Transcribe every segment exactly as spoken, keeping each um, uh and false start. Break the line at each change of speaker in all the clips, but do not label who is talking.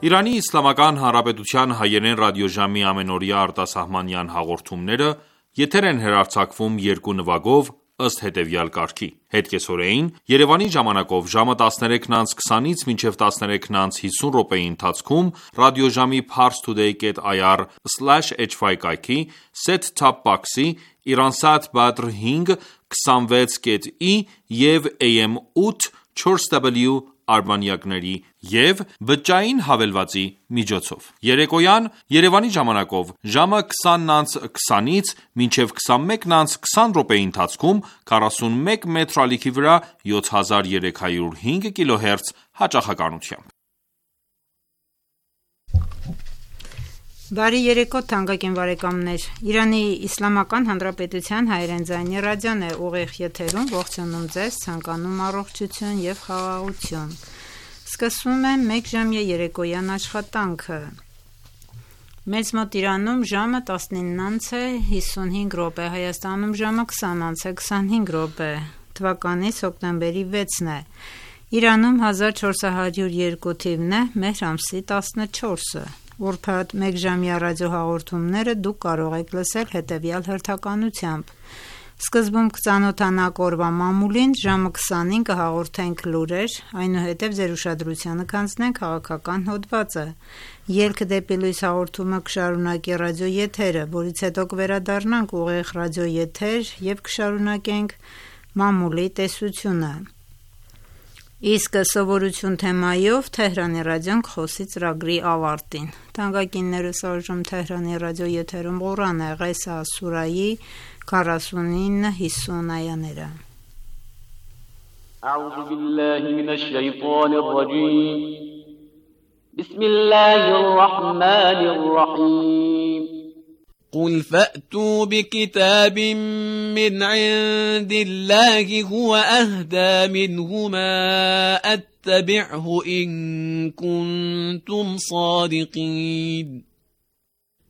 Իրանի Իսլամական Հանրապետության հայերեն ռադիոժամի ամենօրյա արտասահմանյան հաղորդումները եթեր են հեռարձակվում երկու նվագով ըստ հետևյալ կարգի: Հետկեսօրեին Երևանի ժամանակով ժամը տասներեքն անց քսանից մինչև տասներեքն անց հիսուն րոպեի ընթացքում ռադիոժամի parstoday dot i r slash h y կայքի set-top box-ի Iransat Badr հինգ քսանվեց կետ ի և A M ութ չորս W արբանյակների և բջջային հավելվածի միջոցով: Երեկոյան Երևանի ժամանակով ժամը քսանն անց քսանից մինչև քսանմեկն անց քսան րոպեի ընթացքում քառասունմեկ մետր ալիքի վրա յոթ հազար երեք հարյուր հինգ կիլոհերց հաճախականությամբ:
Բարի երեկո թանկագին բարեկամներ: Իրանի Իսլամական Հանրապետության հայերեն ձայնի ռադիոն է ուղիղ եթերում ողջունում ձեզ, ցանկանում առողջություն և խաղաղություն: Սկսվում է մեկժամյա երեկոյան աշխատանքը: Մեծ մոտ Իրանում ժամը տասնինն անց է հիսունհինգ րոպե, Հայաստանում ժամը քսան անց է քսանհինգ րոպե: Թվականից հոկտեմբերի վեցն է: Իրանում հազար չորս հարյուր երկու թիվն է, մեհր ամսի տասնչորսը: Ուրբաթ մեկժամյա ռադիոհաղորդումները դուք կարող եք լսել հետևյալ հերթականությամբ: Սկզբում կծանոթանաք օրվա մամուլին, ժամը քսանին կհաղորդենք լուրեր, այնուհետև ձեր ուշադրությանը կանցնենք քաղաքական հոդվածը: Ելք դեպի լույս հաղորդումը կշարունակի ռադիոեթերը, որից հետո կվերադառնանք ուղիղ ռադիոեթեր և կշարունակենք մամուլի տեսությունը: Իսկ սովորություն թեմայով Թեհրանի ռադիոն կխոսի ծրագրի ավարտին: Թանկագիններս այժմ Թեհրանի ռադիոեթերում Ղուրան է, Ղեսաս սուրայի քառասունինը հիսուն այաները:
أعوذ بالله من الشيطان الرجيم بسم الله الرحمن الرحيم
قل فأتوا بكتاب من عند الله هو أهدى منه ما أتبعه إن كنتم صادقين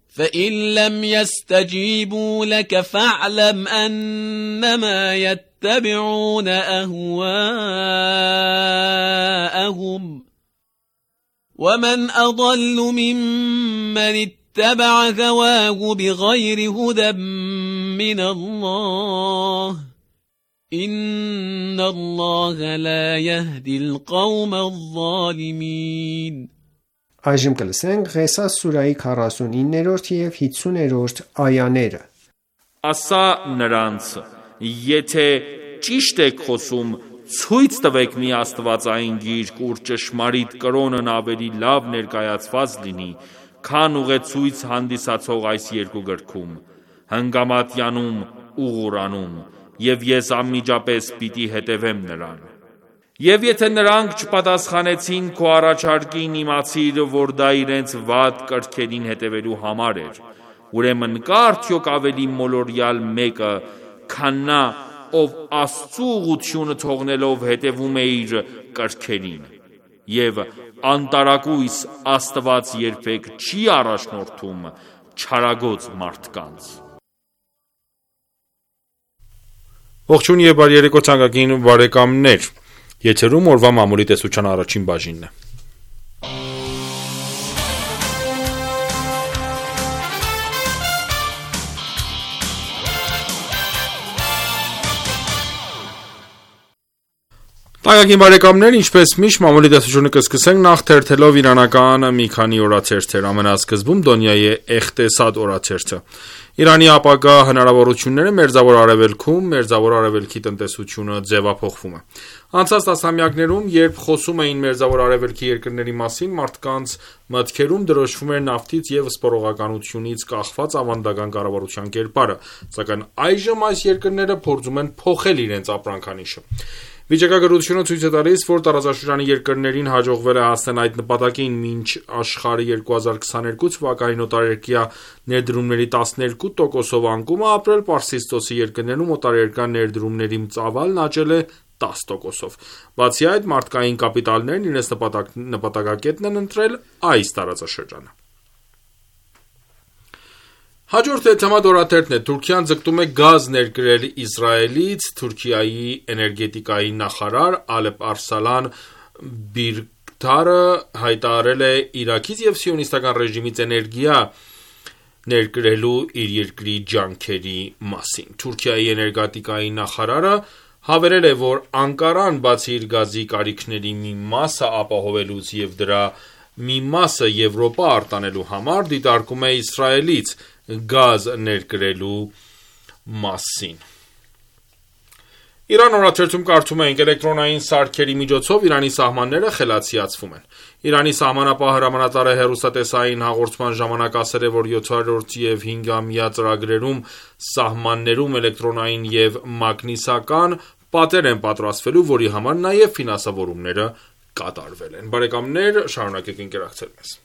فإن لم يستجيبوا لك فاعلم أنما يتبعون أهواءهم ومن أضل ممن اتبع هواه بغير هدى من الله إن الله لا يهدي القوم الظالمين
Այժմ կլսենք Ղեսաս սուրայի քառասունիններորդ և հիսուներորդ այաները:
Ասա նրանց. եթե ճիշտ եք խոսում, ցույց տվեք մի աստվածային գիրք, ուր ճշմարիտ կրոնն ավելի լավ ներկայացված լինի, քան ուղեցույց հանդիսացող այս երկու գրքում, Հնգամատյանում ու Ղուրանում, և ես անմիջապես պիտի հետևեմ նրան: Եվ եթե նրանք չպատասխանեցին քո առաջարկին, իմացիր, որ դա իրենց վատ կրքերին հետևելու համար էր: Ուրեմն կա՞ արդյոք ավելի մոլորյալ մեկը, քան նա, ով Աստծու ուղղությունը թողնելով հետևում է իր կրքերին: Եվ անտարակույս Աստված երբեք չի առաջնորդում չարագոծ մարդկանց:
Ողջույն և բարի երեկո թանկագին բարեկամներ: Եթերում օրվա մամուլի տեսության առաջին բաժինն է: Թանկագին բարեկամներ, ինչպես միշտ մամուլի տեսությունը կսկսենք նախ թերթելով իրանական մի քանի օրաթերթեր: Ամենասկզբում Դոնյայի Էղտեսադ օրաթերթը: Իրանի ապագա հնարավորությունները Մերձավոր Արևելքում, Մերձավոր Արևելքի տնտեսությունը ձևափոխվում է: Անցած տասնամյակներում, երբ խոսում էին Մերձավոր Արևելքի երկրների մասին, մարդկանց մտքերում դրոշվում էր նավթից և սպառողականությունից կախված ավանդական կառավարության կերպարը: Սակայն այժմ այս երկրները փորձում են փոխել իրենց ապրանքանիշը: Վիճակագրությունը ցույց է տալիս, որ տարածաշրջանի երկրներին հաջողվել է հասնել այդ նպատակին: Մինչ աշխարհը երկու հազար քսաներկու թվականին օտարերկրյա ներդրումների տասներկու տոկոսով անկում է ապրել, Պարսից ծոցի երկրներում օտարերկրյա ներդրումների ծավալն աճել է տաս տոկոսով: Բացի այդ, մարդկային կապիտալներն իրենց նպատակակետն են ընտրել այս տարածաշրջանը: Հաջորդ թեմատ օրաթերթն է: Թուրքիան ձգտում է գազ ներկրել Իսրայելից: Թուրքիայի էներգետիկայի նախարար Ալեպ Արսլան Բիրգտայևը Քթարը հայտարարել է Իրաքից և սիոնիստական ռեժիմից էներգիա ներկրելու իր երկրի ջանքերի մասին։ Թուրքիայի էներգետիկայի նախարարը հավելել է, որ Անկարան բացի իր գազի կարիքների մի մասը ապահովելուց և դրա մի մասը Եվրոպա արտանելու համար դիտարկում է Իսրայելից գազ ներկրելու մասին։ Իրան օրաթերթում կարդում ենք. էլեկտրոնային սարքերի միջոցով Իրանի սահմանները խելացիացվում են։ Իրանի սահմանապահ հրամանատարը հեռուստատեսային հաղորդման ժամանակ ասել է, որ յոթերորդ և հինգամյա ծրագրերում սահմաններում էլեկտրոնային և մագնիսական պատեր են պատրաստվելու, որի համար նաև ֆինանսավորումները կատարվել են։ Բարեկամներ, շարունակեք ընկերակցել մեզ։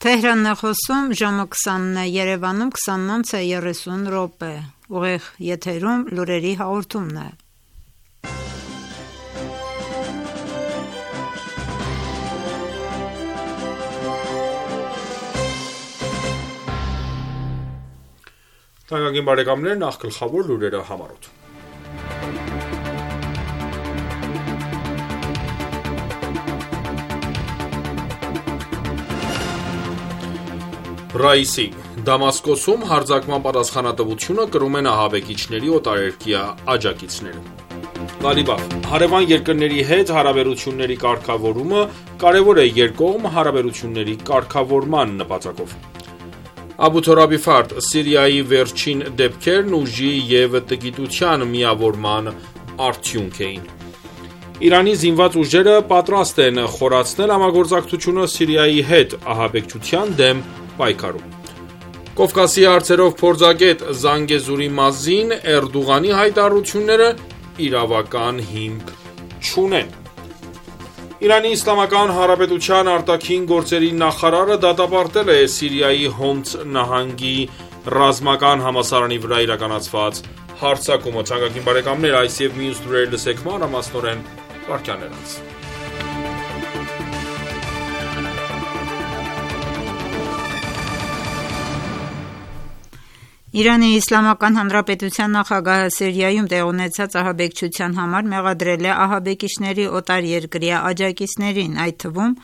Թեհրանն է խոսում, ժամը քսանն է, Երևանում քսանինը երեսուն րոպե, ուղիղ եթերում լուրերի հաղորդումն է։
Թանկագին բարեկամներ, նախ գլխավոր լուրերը համառոտ։ Ռայիսի Դամասկոսում հարձակման պատասխանատվությունը կրում են ահաբեկիչների օտարերկրյա աջակիցները։ Ղալիբաֆ հարևան երկրների հետ հարաբերությունների կարգավորումը կարևոր է երկկողմ հարաբերությունների կարգավորման նպատակով։ Աբու Թորաբի Ֆարդ Սիրիայի վերջին դեպքերն ուժի և տգիտության միավորման արդյունք էին։ Իրանի զինված ուժերը պատրաստ են խորացնել համագործակցությունը Սիրիայի հետ ահաբեկչության դեմ պայքարում։ Կովկասի հարցերով փորձագետ Զանգեզուրի Մազին Էրդողանի հայտարարությունները իրավական հիմք չունեն։ Իրանի Իսլամական Հանրապետության արտաքին գործերի նախարարը դատապարտել է Սիրիայի Հոմս նահանգի ռազմական համալսարանի վրա իրականացված հարձակումը։ Թանկագին բարեկամներ, այս և մյուս լուրեր լսեք մանրամասնորեն վարքյաներից։
Իրանի Իսլամական Հանրապետության նախագահը Սիրիայում տեղի ունեցած ահաբեկչության համար մեղադրել է ահաբեկիչների օտարերկրյա աջակիցներին, այդ թվում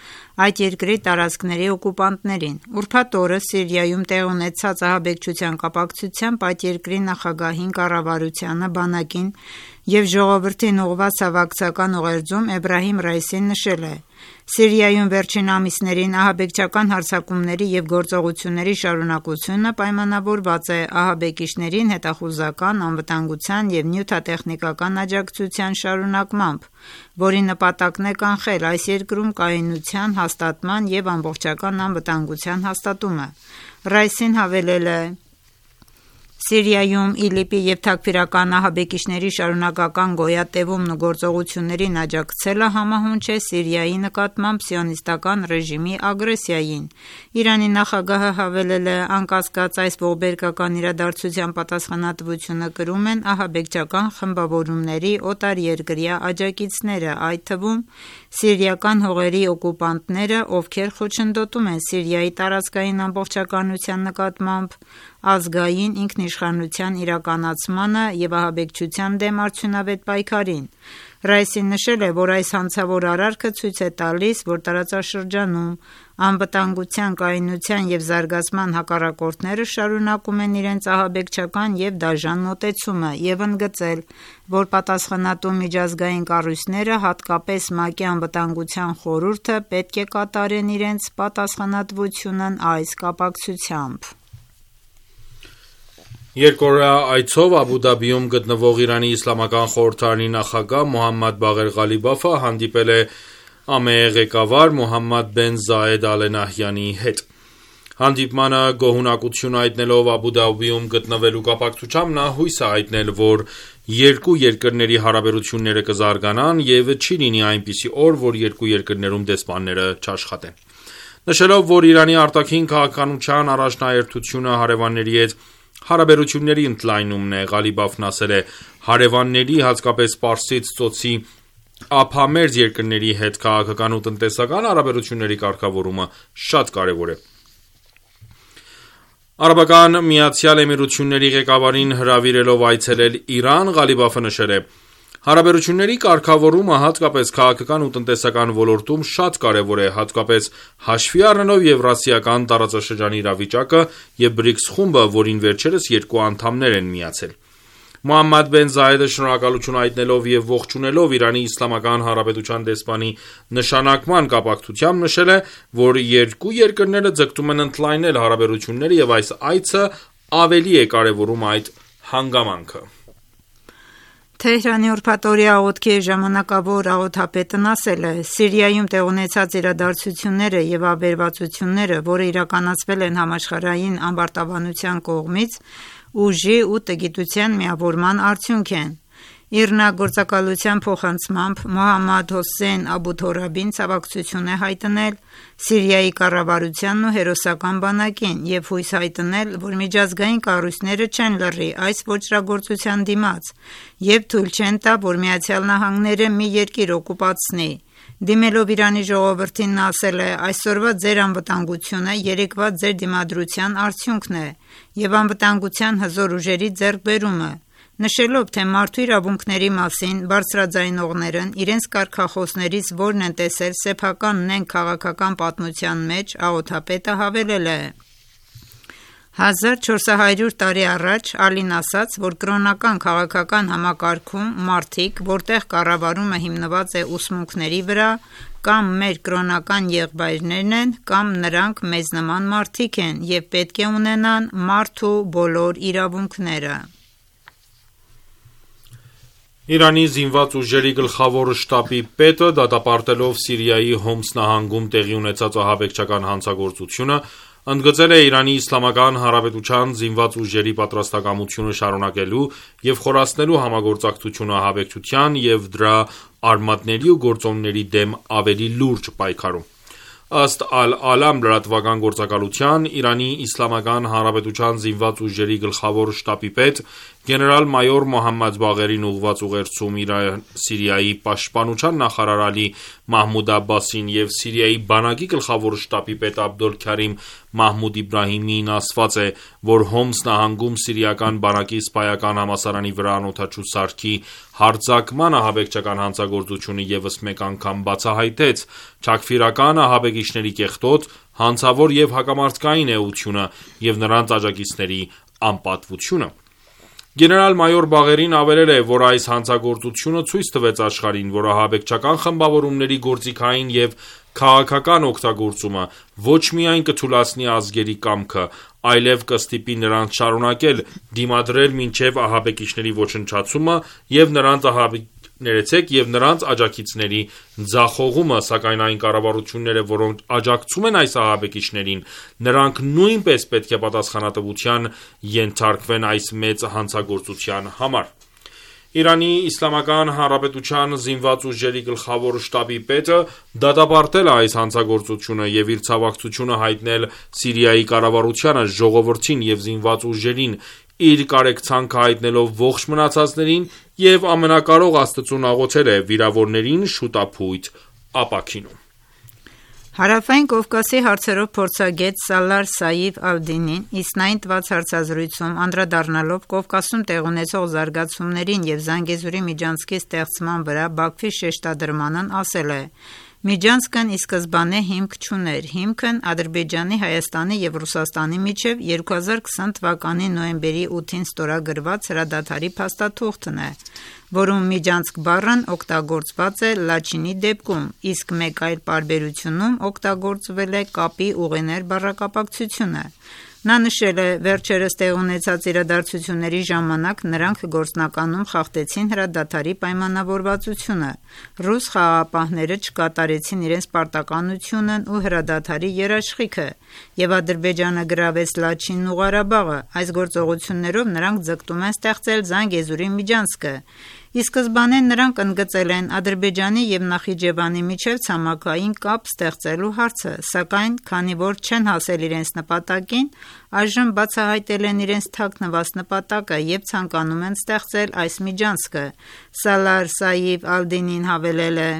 այդ երկրի տարածքների օկուպանտներին։ Ուրբաթ օրը Սիրիայում տեղի ունեցած ահաբեկչության կապակցությամբ այդ երկրի նախագահին, կառավարությանը, բանակին և ժողովրդին ուղղված հավաքական ուղերձում Էբրահիմ Ռայիսին նշել է. Սիրիայում վերջին ամիսներին ահաբեկչական հարձակումների և գործողությունների շարունակությունը պայմանավորված է ահաբեկիչներին հետախուզական, անվտանգության և նյութատեխնիկական աջակցության շարունակմամբ, որի նպատակն է կանխել այս երկրում կայունության հաստատման և ամբողջական անվտանգության հաստատումը։ Ռայիսին հավելել է. Սիրիայում ԻԼԻՊ-ի և թաքֆիրական ահաբեկիչների շարունակական գոյատևումն ու գործողություններին աջակցելը համահունչ է Սիրիայի նկատմամբ սիոնիստական ռեժիմի ագրեսիային։ Իրանի նախագահը հավելել է. անկասկած այս ողբերգական իրադարձության պատասխանատվությունը կրում են ահաբեկչական խմբավորումների օտարերկրյա աջակիցները, այդ թվում սիրիական հողերի օկուպանտները, ովքեր խոչընդոտում են Սիրիայի տարածքային ամբողջականության նկատմամբ ազգային ինքնիշխանության իրականացմանը և ահաբեկչության դեմ արդյունավետ պայքարին։ Ռայիսին նշել է, որ այս հանցավոր արարքը ցույց է տալիս, որ տարածաշրջանում անվտանգության, կայունության և զարգացման հակառակորդները շարունակում են իրենց ահաբեկչական և դաժան մոտեցումը և ընդգծել, որ պատասխանատու միջազգային կառույցները, հատկապես ՄԱԿ-ի Անվտանգության խորհուրդը, պետք է կատարեն իրենց պատասխանատվությունն այս կապակցությամբ։
Երկօրյա այցով Աբու Դաբիում գտնվող Իրանի Իսլամական խորհրդարանի նախագահ Մոհամմադ Բաղեր Ղալիբաֆը հանդիպել է ԱՄԷ ղեկավար Մոհամմադ բեն Զայեդ Ալ Նահյանի հետ։ Հանդիպմանը գոհունակություն հայտնելով Աբու Դաբիում գտնվելու կապակցությամբ նա հույս է հայտնել, որ երկու երկրների հարաբերությունները կզարգանան և չի լինի այնպիսի օր, որ երկու երկրներում դեսպանները չաշխատեն։ Նշելով, որ Իրանի արտաքին քաղաքականության առաջնահերթությունը հարևանների հետ հարաբերությունների ընդլայնումն է, Ղալիբաֆն ասել է. հարևանների, հատկապես Պարսից ծոցի ափամերձ երկրների հետ քաղաքական ու տնտեսական հարաբերությունների կարգավորումը շատ կարևոր է։ Արաբական Միացյալ Էմիրությունների ղեկավարին հրավիրելով այցելել Իրան, Ղալիբաֆը նշել է. Հարաբերությունների կարգավորումը հատկապես քաղաքական ու տնտեսական ոլորտում շատ կարևոր է, հատկապես հաշվի առնելով Եվրասիական տարածաշրջանի իրավիճակը և բրիքս խումբը, որին վերջերս երկու անդամներ են միացել։ Մոհամմադ բեն Զայեդը շնորհակալություն հայտնելով և ողջունելով Իրանի Իսլամական Հանրապետության դեսպանի նշանակման կապակցությամբ նշել է, որ երկու երկրները ձգտում են ընդլայնել հարաբերությունները և այս այցը ավելի է կարևորում այդ հանգամանքը։
Թեհրանի ուրբաթօրյա աղոթքի ժամանակավոր աղոթապետն ասել է. Սիրիայում տեղ ունեցած իրադարձությունները և ավերածությունները, որը իրականացվել են համաշխարհային ամբարտավանության կողմից, ուժի ու տգիտության միավորման արդյունք են։ Իռնագործակալության փոխանցմամբ Մոհամմադ Հոսեյն Աբու Թորաբին ցավակցություն է հայտնել Սիրիայի կառավարությանն ու հերոսական բանակին և հույս հայտնել, որ միջազգային կառույցները չեն լռի այս ոճրագործության դիմաց և թույլ չեն տա, որ Միացյալ Նահանգները մի երկիր օկուպացնի։ Դիմելով Իրանի ժողովրդին նա ասել է. այսօրվա ձեր անվտանգությունը երեկվա ձեր դիմադրության արդյունքն է և անվտանգության հզոր ուժերի ձեռքբերումը, նշելով, թե մարդու իրավունքների մասին բարձրաձայնողներն իրենց կարգախոսներից որն են տեսել սեփական նենգ քաղաքական պատմության մեջ, աղոթապետը հավելել է. հազար չորս հարյուր տարի առաջ Ալին ասաց, որ կրոնական քաղաքական համակարգում մարդիկ, որտեղ կառավարումը հիմնված է ուսմունքների վրա, կամ մեր կրոնական եղբայրներն են, կամ նրանք մեզ նման մարդիկ են և պետք է ունենան մարդու բոլոր իրավունքները։
Իրանի զինված ուժերի գլխավոր շտաբի պետը, դատապարտելով Սիրիայի Հոմս նահանգում տեղի ունեցած ահաբեկչական հանցագործությունը, ընդգծել է Իրանի Իսլամական Հանրապետության զինված ուժերի պատրաստակամությունը շարունակելու և խորացնելու համագործակցությունը ահաբեկչության և դրա արմատների ու գործոնների դեմ ավելի լուրջ պայքարում։ Ըստ Ալ-Ալամ լրատվական գործակալության, Իրանի Իսլամական Հանրապետության զինված ուժերի գլխավոր շտաբի պետ գեներալ-մայոր Մոհամմադ Բաղերին ուղղված ուղերձում Սիրիայի պաշտպանության նախարար Ալի Մահմուդ Աբբասին և Սիրիայի բանակի գլխավոր շտաբի պետ Աբդոլ Քարիմ Մահմուդ Իբրահիմին ասված է, որ Հոմս նահանգում սիրիական բանակի սպայական համալսարանի վրա անօդաչու սարքի հարձակման ահաբեկչական հանցագործությունը ևս մեկ անգամ բացահայտեց չաքֆիրական ահաբեկիչների կեղտոտ, հանցավոր և հակամարտկային էությունը և նրանց աջակիցների անպատվությունը։ Գեներալ-մայոր Բաղերին ավելել է, որ այս հանցագործությունը ցույց տվեց աշխարհին, որ ահաբեկչական խմբավորումների գործիքային և քաղաքական օգտագործումը ոչ միայն կթուլացնի ազգերի կամքը, այլև կստիպի նրանց շարունակել դիմադրել մինչև ահաբեկիչների ոչնչացումը և նրանց աջակիցների ձախողումը, սակայն այն կառավարությունները, որոնք աջակցում են այս ահաբեկիչներին, նրանք նույնպես պետք է պատասխանատվության ենթարկվեն այս մեծ հանցագործության համար։ Իրանի Իսլամական Հանրապետության զինված ուժերի գլխավոր շտաբի պետը դատապարտել է այս հանցագործությունը և իր ցավակցությունը հայտնել Սիրիայի կառավարությանը, ժողովրդին և զինված ուժերին, իր կարեկցանքը հայտնելով ողջ մնացածներին և ամենակարող Աստծուն աղոթել է վիրավորներին շուտափույթ ապաքինում։
Հարավային Կովկասի հարցերով փորձագետ Սալար Սայիֆ Ավդինին իսնային տված հարցազրույցում անդրադառնալով Կովկասում տեղ ունեցող զարգացումներին և Զանգեզուրի միջանցքի ստեղծման վրա Բաքվի շեշտադրմանն ասել է. Միջանցքն ի սկզբանե հիմք չուներ, հիմքն Ադրբեջանի, Հայաստանի և Ռուսաստանի միջև երկու հազար քսան թվականի նոյեմբերի ութին ստորագրված հրադադարի փաստաթուղթն է, որում միջանցք բառն օգտագործված է Լաչինի դեպքում, իսկ մեկ այլ պարբերությունում օգտագործվել է կապի ուղիներ բառակապակցությունը։ Նա նշել է. վերջերս տեղ ունեցած իրադարձությունների ժամանակ նրանք գործնականում խախտեցին հրադադարի պայմանավորվածությունը, ռուս խաղաղապահները չկատարեցին իրենց պարտականությունն ու հրադադարի երաշխիքը, և Ադրբեջանը գրավեց Լաչինն ու Ղարաբաղը։ Այս գործողություններով նրանք ձգտում են ստեղծել Զանգեզուրի միջանցքը, Ի սկզբանե նրանք ընդգծել են Ադրբեջանի և Նախիջևանի միջև ցամաքային կապ ստեղծելու հարցը, սակայն քանի որ չեն հասել իրենց նպատակին, այժմ բացահայտել են իրենց թաքնված նպատակը և ցանկանում են ստեղծել այս միջանցքը։ Սալար Սայիֆ Ալ-Դինին հավելել է.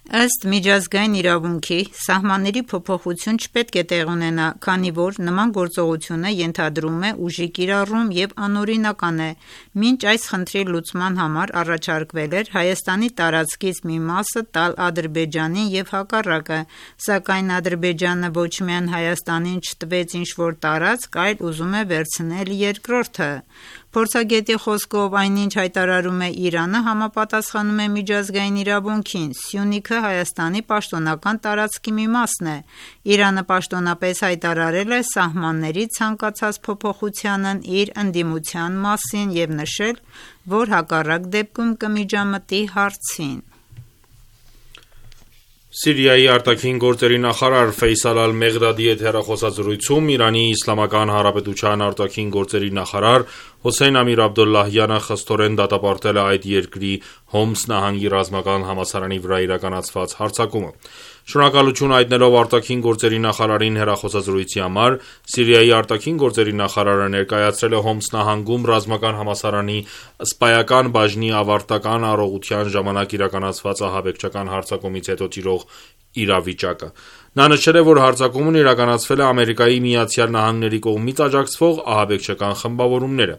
Ըստ միջազգային իրավունքի, սահմանների փոփոխություն չպետք է տեղի ունենա, քանի որ նման գործողությունը ենթադրում է ուժի կիրառում և անօրինական է։ Մինչ այս խնդրի լուծման համար առաջարկվել էր Հայաստանի տարածքից մի մասը տալ Ադրբեջանին և հակառակը, սակայն Ադրբեջանը ոչ միայն Հայաստանին չտվեց ինչ-որ տարածք, այլ ուզում է վերցնել երկրորդը։ Փորձագետի խոսքով այնինչ հայտարարում է Իրանը համապատասխանում է միջազգային իրավունքին։ Սյունիքը Հայաստանի պաշտոնական տարածքի մի մասն է։ Իրանը պաշտոնապես հայտարարել է սահմանների ցանկացած փոփոխությանն իր ընդդիմության մասին և նշել, որ հակառակ դեպքում կմիջամտի հարցին։
Սիրիայի արտաքին գործերի նախարար Ֆեյսալ Ալ-Մեղդադի հետ հեռախոսազրույցում Իրանի Իսլամական Հանրապետության արտաքին գործերի նախարար Հոսեյն Ամիր Աբդոլլահյանը խստորեն դատապարտել է այդ երկրի Հոմս նահանգի ռազմական համալսարանի վրա իրականացված հարձակումը։ Շնորհակալություն հայտնելով արտաքին գործերի նախարարին հեռախոսազրույցի համար, Սիրիայի արտաքին գործերի նախարարը ներկայացրել է Հոմս նահանգում ռազմական համալսարանի սպայական բաժնի ավարտական առողջության ժամանակ իրականացված ահաբեկչական հարձակումից հետո տիրող իրավիճակը։ Նա նշել է, որ հարձակումն իրականացվել է Ամերիկայի Միացյալ Նահանգների կողմից աջակցվող ահաբեկչական խմբավորումները։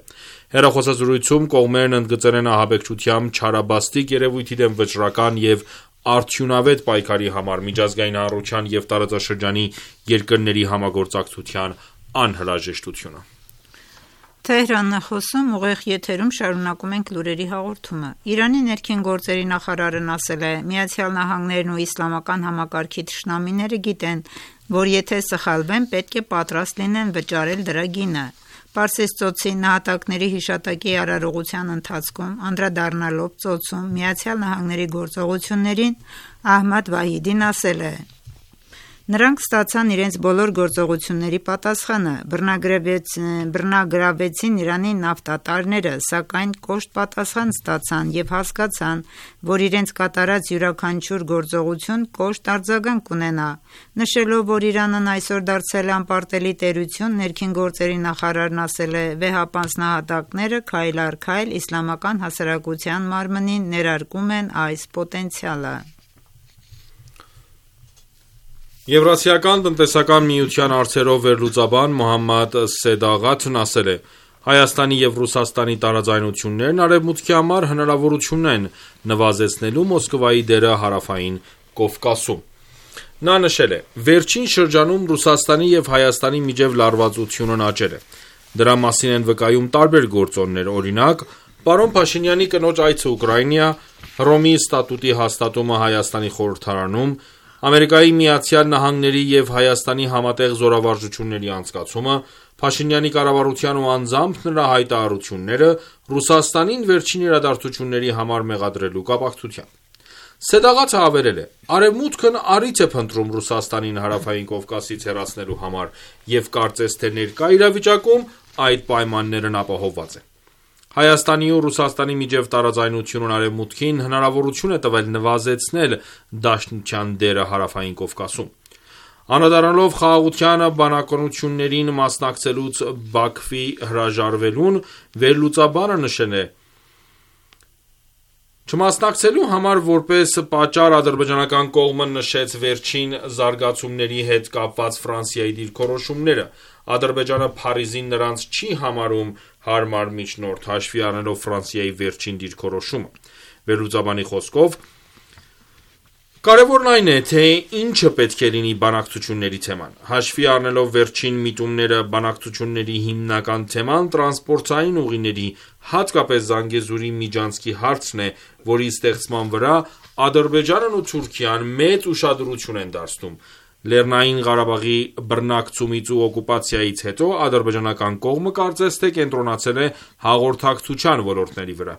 Հեռախոսազրույցում կողմերն ընդգծել են ահաբեկչությամբ չարաբաստիկ երևույթի դեմ վճռական և արդյունավետ պայքարի համար միջազգային հանրության և տարածաշրջանի երկրների համագործակցության անհրաժեշտությունը։
Թեհրանն է խոսում, ուղիղ եթերում շարունակում ենք լուրերի հաղորդումը։ Իրանի ներքին գործերի նախարարն ասել է. Միացյալ Նահանգներն ու իսլամական համակարգի թշնամիները գիտեն, որ եթե սխալվեն, պետք է պատրաստ լինեն վճարել դրա գինը։ Պարսից ծոցի նահատակների հիշատակի արարողության ընթացքում անդրադառնալով ծոցում Միացյալ Նահանգների գործողություններին, Ահմադ Վահիդին ասել է. Նրանք ստացան իրենց բոլոր գործողությունների պատասխանը, բռնագրավեցին Իրանի նավթատարները, սակայն կոշտ պատասխան ստացան և հասկացան, որ իրենց կատարած յուրաքանչյուր գործողություն կոշտ արձագանք կունենա։ Նշելով, որ Իրանն այսօր դարձել է անպարտելի տերություն, ներքին գործերի նախարարն ասել է. Վեհապանց նահատակները քայլ առ քայլ իսլամական հասարակության մարմնին ներարկում են այս պոտենցիալը։
Եվրասիական տնտեսական միության հարցերով վերլուծաբան Մոհամմադ Սեդաղաթն ասել է. Հայաստանի և Ռուսաստանի տարաձայնություններն Արևմուտքի համար հնարավորություն են նվազեցնելու Մոսկվայի դերը Հարավային Կովկասում։ Նա նշել է. Վերջին շրջանում Ռուսաստանի և Հայաստանի միջև լարվածությունն աճել է։ Դրա մասին են վկայում տարբեր գործոններ, օրինակ, պարոն Փաշինյանի կնոջ այցը Ուկրաինա, Հռոմի ստատուտի հաստատումը Հայաստանի խորհրդարանում, Ամերիկայի Միացյալ Նահանգների և Հայաստանի համատեղ զորավարժությունների անցկացումը, Փաշինյանի կառավարության ու անձամբ նրա հայտարարությունները Ռուսաստանին վերջին իրադարձությունների համար մեղադրելու կապակցությամբ։ Սեդաղաթը հավելել է. Արևմուտքն առիթ է փնտրում Ռուսաստանին Հարավային Կովկասից հեռացնելու համար և կարծես թե ներկա իրավիճակում այդ պայմաններն ապահովված են։ Հայաստանի ու Ռուսաստանի միջև տարաձայնությունն Արևմուտքին հնարավորություն է տվել նվազեցնել Դաշնության դերը Հարավային Կովկասում։ Անդրադառնալով խաղաղության բանակցություններին մասնակցելուց Բաքվի հրաժարվելուն, վերլուծաբանը նշել է. Չմասնակցելու համար որպես պատճառ ադրբեջանական կողմը նշեց վերջին զարգացումների հետ կապված Ֆրանսիայի դիրքորոշումները։ Ադրբեջանը Փարիզին նրանց չի համարում հարմար միջնորդ, հաշվի առնելով Ֆրանսիայի վերջին դիրքորոշումը։ Վերլուծաբանի խոսքով, կարևորն այն է, թե ինչը պետք է լինի բանակցությունների թեման։ Հաշվի առնելով վերջին միտումները, բանակցությունների հիմնական թեման տրանսպորտային ուղիների, հատկապես Զանգեզուրի միջանցքի հարցն է, որի ստեղծման վրա Ադրբեջանն ու Թուրքիան մեծ ուշադրություն են դարձնում։ Լեռնային Ղարաբաղի բռնակցումից ու օկուպացիայից հետո ադրբեջանական կողմը կարծես թե կենտրոնացել է հաղորդակցության ոլորտների վրա։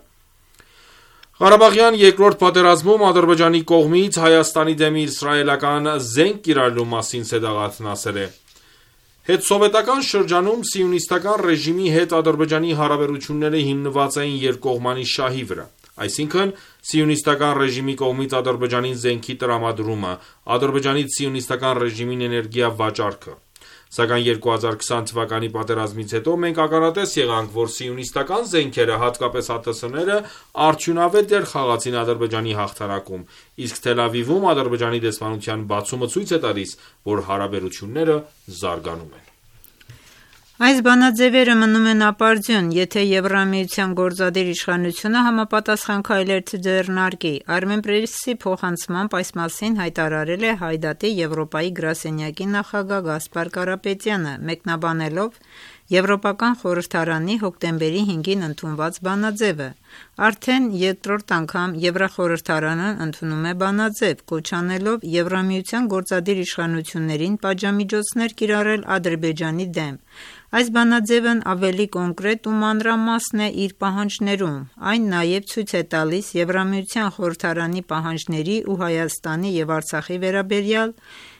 Ղարաբաղյան երկրորդ պատերազմում Ադրբեջանի կողմից Հայաստանի դեմ իսրայելական զենք կիրառելու մասին Սեդաղաթն ասել է. Հետսովետական շրջանում սիոնիստական ռեժիմի հետ Ադրբեջանի հարաբերությունները հիմնված էին երկկողմանի շահի վրա, այսինքն սիոնիստական ռեժիմի կողմից Ադրբեջանին զենքի տրամադրումը, Ադրբեջանից սիոնիստական ռեժիմին էներգիա վաճառքը։ Սակայն երկու հազար քսան թվականի պատերազմից հետո մենք ականատես եղանք, որ սիոնիստական զենքերը, հատկապես ԱԹՍ-ները, արդյունավետ դեր խաղացին Ադրբեջանի հաղթանակում, իսկ Թել Ավիվում Ադրբեջանի դեսպանության բացումը ցույց է տալիս, որ հարաբերությունները զարգանում են։
Այս բանաձևերը մնում են ապարդյուն, եթե Եվրամիության գործադիր իշխանությունը համապատասխան քայլեր չձեռնարկի։ Armenpress-ի փոխանցմամբ այս մասին հայտարարել է Հայդատի Եվրոպայի գրասենյակի նախագահ Գասպար Կարապետյանը, մեկնաբանելով Եվրոպական խորհրդարանի հոկտեմբերի հինգին ընդունված բանաձևը։ Արդեն երկրորդ անգամ Եվրախորհրդարանն ընդունում է բանաձև, կոչ անելով Եվրամիության գործադիր իշխանություններին պատժամիջոցներ կիրառել Ադրբեջանի դեմ։ Այս բանաձևն ավելի կոնկրետ ու մանրամասն է իր պահանջներում։ Այն նաև ցույց է տալիս Եվրամիության խորհրդարանի պահանջների ու Հայաստանի և Արցախի վերաբերյալ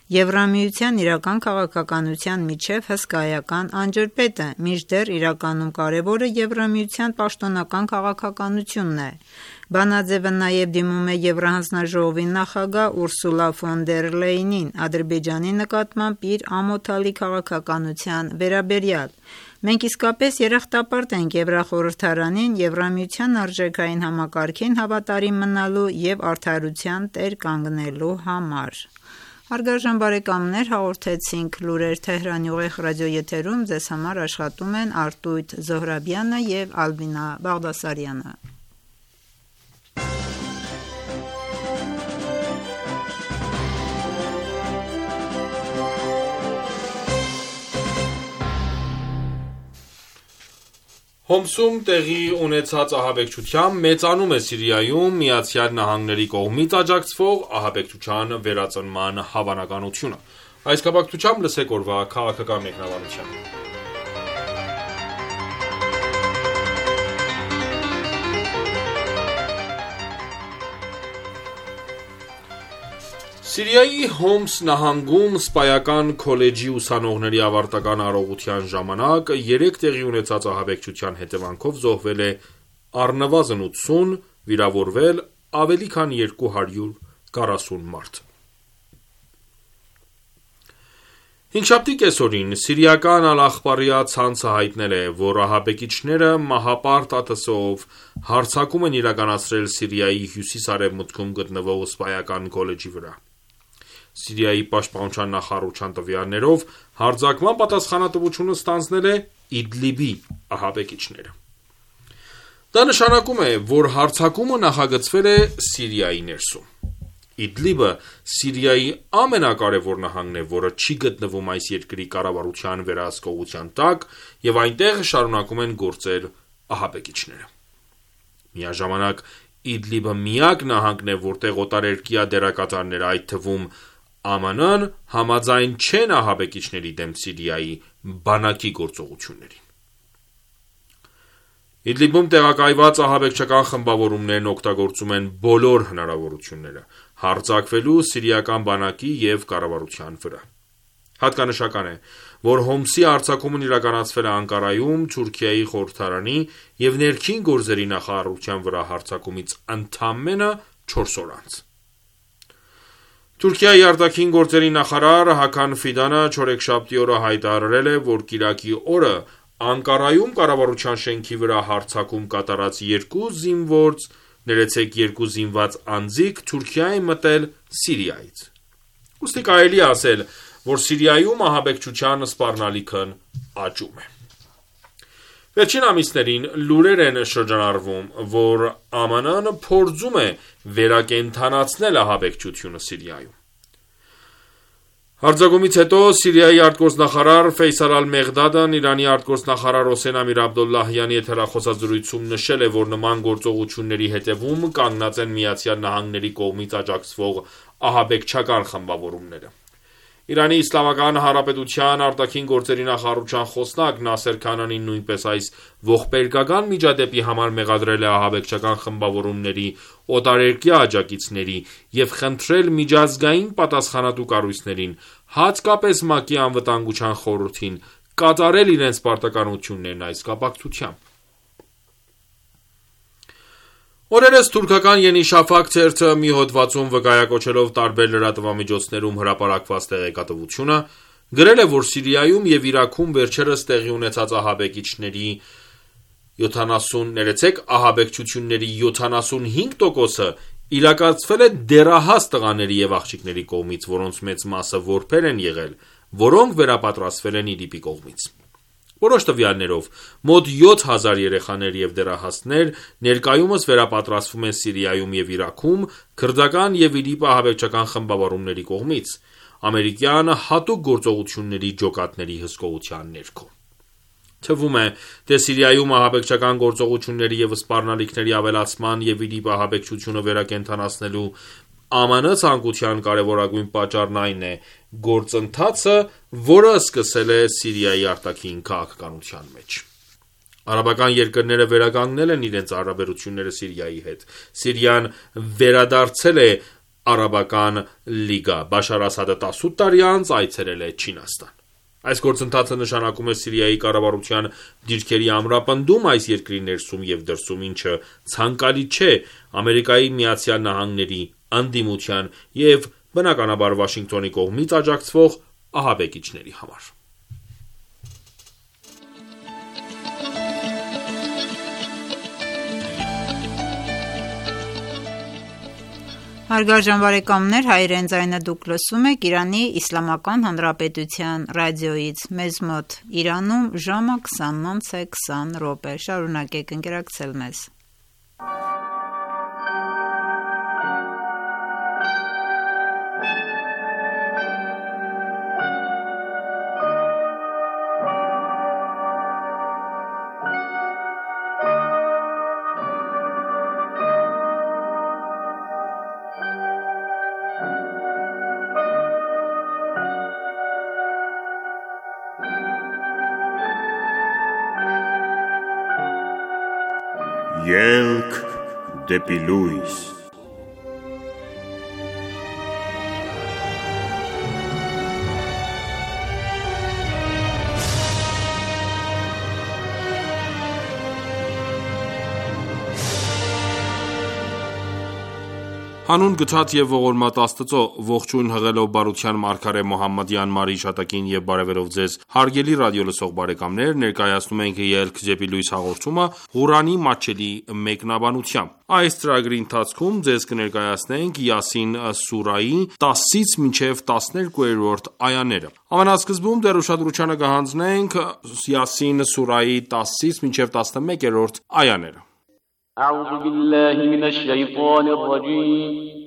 Եվրամիության իրական քաղաքականության միջև հսկայական անջրպետը, մինչդեռ իրականում կարևորը Եվրամիության պաշտոնական քաղաքականությունն է։ Բանաձևը նաև դիմում է Եվրահանձնաժողովի նախագահ Ուրսուլա ֆոն դեր Լեյնին Ադրբեջանի նկատմամբ իր ամոթալի քաղաքականության վերաբերյալ։ Մենք իսկապես երախտապարտ ենք Եվրախորհրդարանին Եվրամիության արժեքային համակարգին հավատարիմ մնալու և արդարության տեր կանգնելու համար։ Հարգարժան բարեկամներ, հաղորդեցինք լուրեր Թեհրանի ուղիղ ռադիոեթերում, ձեզ համար աշխատում են Արտույտ Զոհրաբյանը և Ալբինա Բաղդասարյանը։
Հոմսում տեղի ունեցած ահաբեկչությամբ մեծանում է Սիրիայում Միացյալ Նահանգների կողմից աջակցվող ահաբեկչության վերածնման հավանականությունը։ Այս կապակցությամբ լսեք օրվա քաղաքական մեկնաբանությունը։ Սիրիայի Հոմս նահանգում սպայական քոլեջի ուսանողների ավարտական արարողության ժամանակ երեք տեղի ունեցած ահաբեկչության հետևանքով զոհվել է առնվազն ութսուն, վիրավորվել ավելի քան երկու հարյուր քառասուն մարդ։ Հինգշաբթի կեսօրին սիրիական Ալ-Ախբարիա ցանցը հայտնել է, որ ահաբեկիչները մահապարտ ԱԹՍ-ով հարձակում են իրականացրել Սիրիայի հյուսիս-արևմուտքում գտնվող սպայական քոլեջի վրա։ Սիրիայի պաշտպանության նախարարության տվյալներով հարձակման պատասխանատվությունը ստանձնել է Իդլիբի ահաբեկիչները։ Դա նշանակում է, որ հարձակումը նախագծվել է Սիրիայի ներսում։ Իդլիբը Սիրիայի ամենակարևոր նահանգն է, որը չի գտնվում այս երկրի կառավարության վերահսկողության տակ, եւ այնտեղ շարունակում են գործել ահաբեկիչները։ Միաժամանակ Իդլիբը միակ նահանգն է, որտեղ օտարերկրյա դերակատարները, այդ թվում ԱՄՆ Ն համաձայն չեն ահաբեկիչների դեմ Սիրիայի բանակի գործողություններին։ Իդլիբում տեղակայված ահաբեկչական խմբավորումներն օգտագործում են բոլոր հնարավորությունները հարձակվելու սիրիական բանակի և կառավարության վրա։ Հատկանշական է, որ Հոմսի հարձակումն իրականացվել է Անկարայում Թուրքիայի խորհրդարանի և ներքին գործերի նախարարության վրա հարձակումից ընդամենը չորս օր անց։ Թուրքիայի արտաքին գործերի նախարար Հական Ֆիդանը չորեքշաբթի օրը հայտարարել է, որ կիրակի օրը Անկարայում կառավարության շենքի վրա հարձակում կատարած երկու զինվորց, ներեցեք երկու զինված անձիկ Թուրքիա են մտել Սիրիայից։ Ուստի կարելի է ասել, որ Սիրիայում ահաբեկչության սպառնալիքն աճում է։ Վերջին ամիսներին լուրեր են շրջանառվում, որ ԱՄՆ Ն փորձում է վերակենդանացնել ահաբեկչությունը Սիրիայում։ Հարձակումից հետո Սիրիայի արտգործնախարար Ֆեյսալ Ալ-Մեղդադն Իրանի արտգործնախարար Հոսեյն Ամիր Աբդոլլահյանի հետ հեռախոսազրույցում նշել է, որ նման գործողությունների հետևում կանգնած են Միացյալ Նահանգների կողմից աջակցվող ահաբեկչական խմբավորումները։ Իրանի Իսլամական Հանրապետության արտաքին գործերի նախարարության խոսնակ Նասեր Քանանին նույնպես այս ողբերգական միջադեպի համար մեղադրել է ահաբեկչական խմբավորումների օտարերկրյա աջակիցների և խնդրել միջազգային պատասխանատու կառույցներին, հատկապես ՄԱԿ-ի Անվտանգության խորհրդին, կատարել իրենց պարտականություններն այս կապակցությամբ։ Օրերս թուրքական Ենի Շաֆակ թերթը մի հոդվածում վկայակոչելով տարբեր լրատվամիջոցներում հրապարակված տեղեկատվությունը, գրել է, որ Սիրիայում և Իրաքում վերջերս տեղի ունեցած ահաբեկիչների յոթանասուն ահաբեկչությունների յոթանասունհինգ տոկոսը իրականացվել է դեռահաս տղաների և աղջիկների կողմից, որոնց մեծ մասը որբեր են եղել, որոնք վերապատրաստվել են ԻԼԻՊ-ի կողմից։ Որոշ տվյալներով, մոտ յոթ հազար երեխաներ և դեռահասներ ներկայումս վերապատրաստվում են Սիրիայում և Իրաքում քրդական և ԻԼԻՊ ահաբեկչական խմբավորումների կողմից, ամերիկյան հատուկ գործողությունների ջոկատների հսկողության ներքո։ Թվում է, թե Սիրիայում ահաբեկչական գործողությունների և սպառնալիքների ավելացման և ԻԼԻՊ ահաբեկչությունը վերակենդանացնելու ԱՄՆ ցանկության կարևորագույն պատճառն այն է գործընթացը, որը սկսել է Սիրիայի արտաքին քաղաքականության մեջ։ Արաբական երկրները վերականգնել են իրենց հարաբերությունները Սիրիայի հետ։ Սիրիան վերադարձել է Արաբական լիգա։ Բաշար Ասադը տասութ տարի անց այցելել է Չինաստան։ Այս գործընթացը նշանակում է Սիրիայի կառավարության դիրքերի ամրապնդում այս երկրի ներսում և դրսում, ինչը ցանկալի չէ Ամերիկայի Միացյալ Նահանգների ընդդիմության և բնականաբար Վաշինգտոնի կողմից աջակցվող ահաբեկիչների համար։
Հարգարժան բարեկամներ, հայրեն ձայնը դուք լսում եք Իրանի Իսլամական Հանրապետության ռադիոյից։ Մեզ մոտ Իրանում ժամը քսանինը քսան րոպե։ Շարունակեք ընկերակցել մեզ։
Ելք դեպի լույս։
Հանուն գթած և ողորմած Աստծո, ողջույն հղելով բարության մարգարե Մոհամմադի անմար հիշատակին և բարևելով ձեզ հարգելի ռադիոլսող բարեկամներ, ներկայացնում ենք «Ելք դեպի լույս» հաղորդումը Ղուրանի մատչելի մեկնաբանությամբ։ Այս ծրագրի ընթացքում ձեզ կներկայացնենք Յասին սուրայի տասից մինչև տասներկուերորդ այաները։ Ամենասկզբում դեռ ուշադրությանը կհանձնենք Յասին սուրայի տասից մինչև տասնմեկերորդ այաները։
أعوذ بالله من الشيطان الرجيم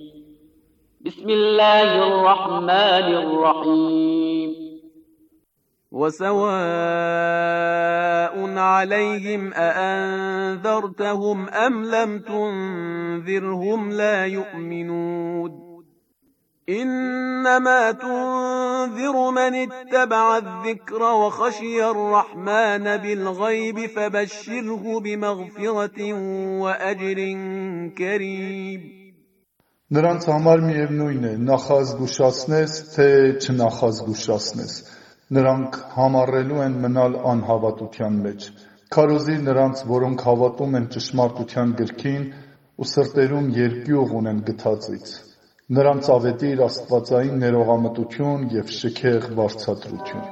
بسم الله الرحمن الرحيم
وسواء عليهم أأنذرتهم أم لم تنذرهم لا يؤمنون إنما تنذر من اتبع الذكر وخشي الرحمن بالغيب فبشره بمغفرة وأجر كريم
Նրանց համար միևնույն է, նախազգուշացնես, թե չնախազգուշացնես, նրանք համառելու են մնալ անհավատության մեջ, քարոզիր նրանց, որոնք հավատում են ճշմարտության գրքին ու սրտերում երկյուղ ունեն գթածից, նրանց ավետիր աստվածային ներողամտություն և շքեղ վարձատրություն։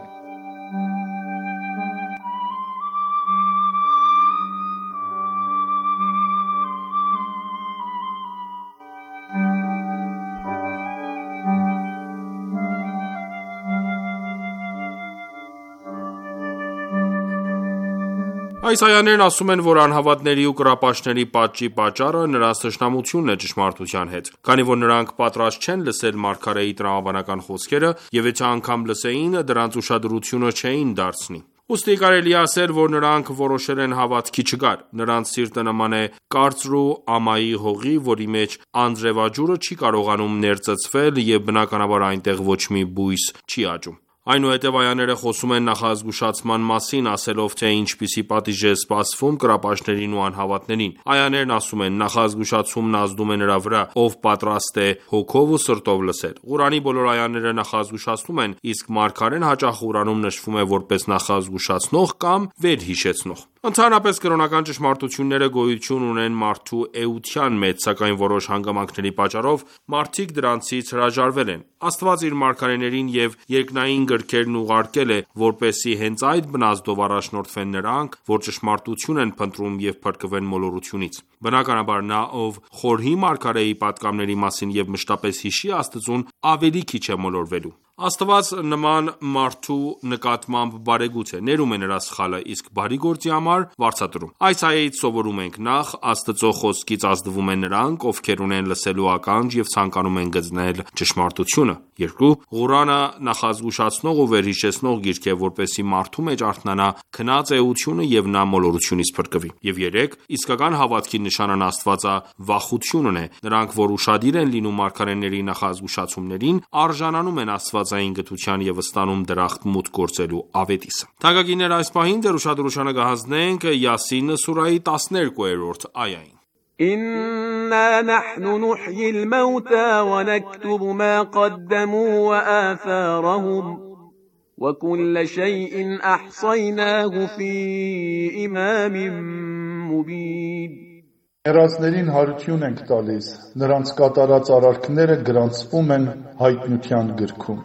Այս այաներն ասում են, որ անհավատների ու կռապաշտների պատժի պատճառը նրանց թշնամությունն է ճշմարտության հետ, քանի որ նրանք պատրաստ չեն լսել մարգարեի տրամաբանական խոսքերը, և եթե անգամ լսեին, դրանց ուշադրությունը չէին դարձնի։ Ուստի կարելի է ասել, որ նրանք որոշել են հավատքի չգալ: Նրանց սիրտը նման է կարծրու ամայի հողի, որի մեջ անձրևաջուրը չի կարողանում ներծծվել և բնականաբար այնտեղ ոչ մի բույս չի աճում: Այնուհետև այաները խոսում են նախազգուշացման մասին, ասելով, թե ինչպիսի պատիժ է սպասվում կռապաշտներին ու անհավատներին: Այաներն ասում են. Նախազգուշացումն ազդում է նրա վրա, ով պատրաստ է հոգով ու սրտով լսել: Ղուրանի բոլոր այաները նախազգուշացնում են, իսկ մարգարեն հաճախ Ղուրանում նշվում է որպես նախազգուշացնող կամ վերհիշեցնող: Ընդհանրապես, կրոնական ճշմարտությունները գոյություն ունեն մարդու էության մեջ, սակայն որոշ հանգամանքների պատճառով մարդիկ դրանցից հրաժարվել են: Աստված իր մարգարեներին և երկնային գրքերն ուղարկել է, որպեսզի հենց այդ բնազդով առաջնորդվեն նրանք, որ ճշմարտություն են փնտրում և փրկվեն մոլորությունից: Բնականաբար, նա, ով խորհի մարգարեի պատգամների մասին և մշտապես հիշի Աստծուն, ավելի քիչ է մոլորվելու: Աստված նման մարդու նկատմամբ բարեգութ է, ներում է նրա սխալը, իսկ բարի գործի համար վարձատրում: Այս այայից սովորում ենք. Նախ, Աստծո խոսքից ազդվում են նրանք, ովքեր ունեն լսելու ականջ և ցանկանում են գտնել ճշմարտությունը: Երկու. Ղուրանը նախազգուշացնող ու վերհիշեցնող գիրք է, որպեսզի մարդու մեջ արթնանա քնած էությունը և նա մոլորությունից փրկվի: Եվ երեք. Իսկական հավատքի նշանն աստվածավախությունն է: Նրանք, որ ուշադիր են լինում մարգարեների նախազգուշացումներին, արժանանում են աստվածային գթության և ստանում դրախտ մուտք գործելու ավետիսը: Թանկագիններ, այս պահին ձեր ուշադրությանը կհանձնենք Յասին սուրահի տասներկուերորդ այային:
إنا نحن نحيي الموتى ونكتب ما قدموا وآثارهم وكل شيء أحصيناه في إمام مبين
Մեռածներին հարություն ենք տալիս, նրանց կատարած արարքները գրանցվում են հայտնության գրքում: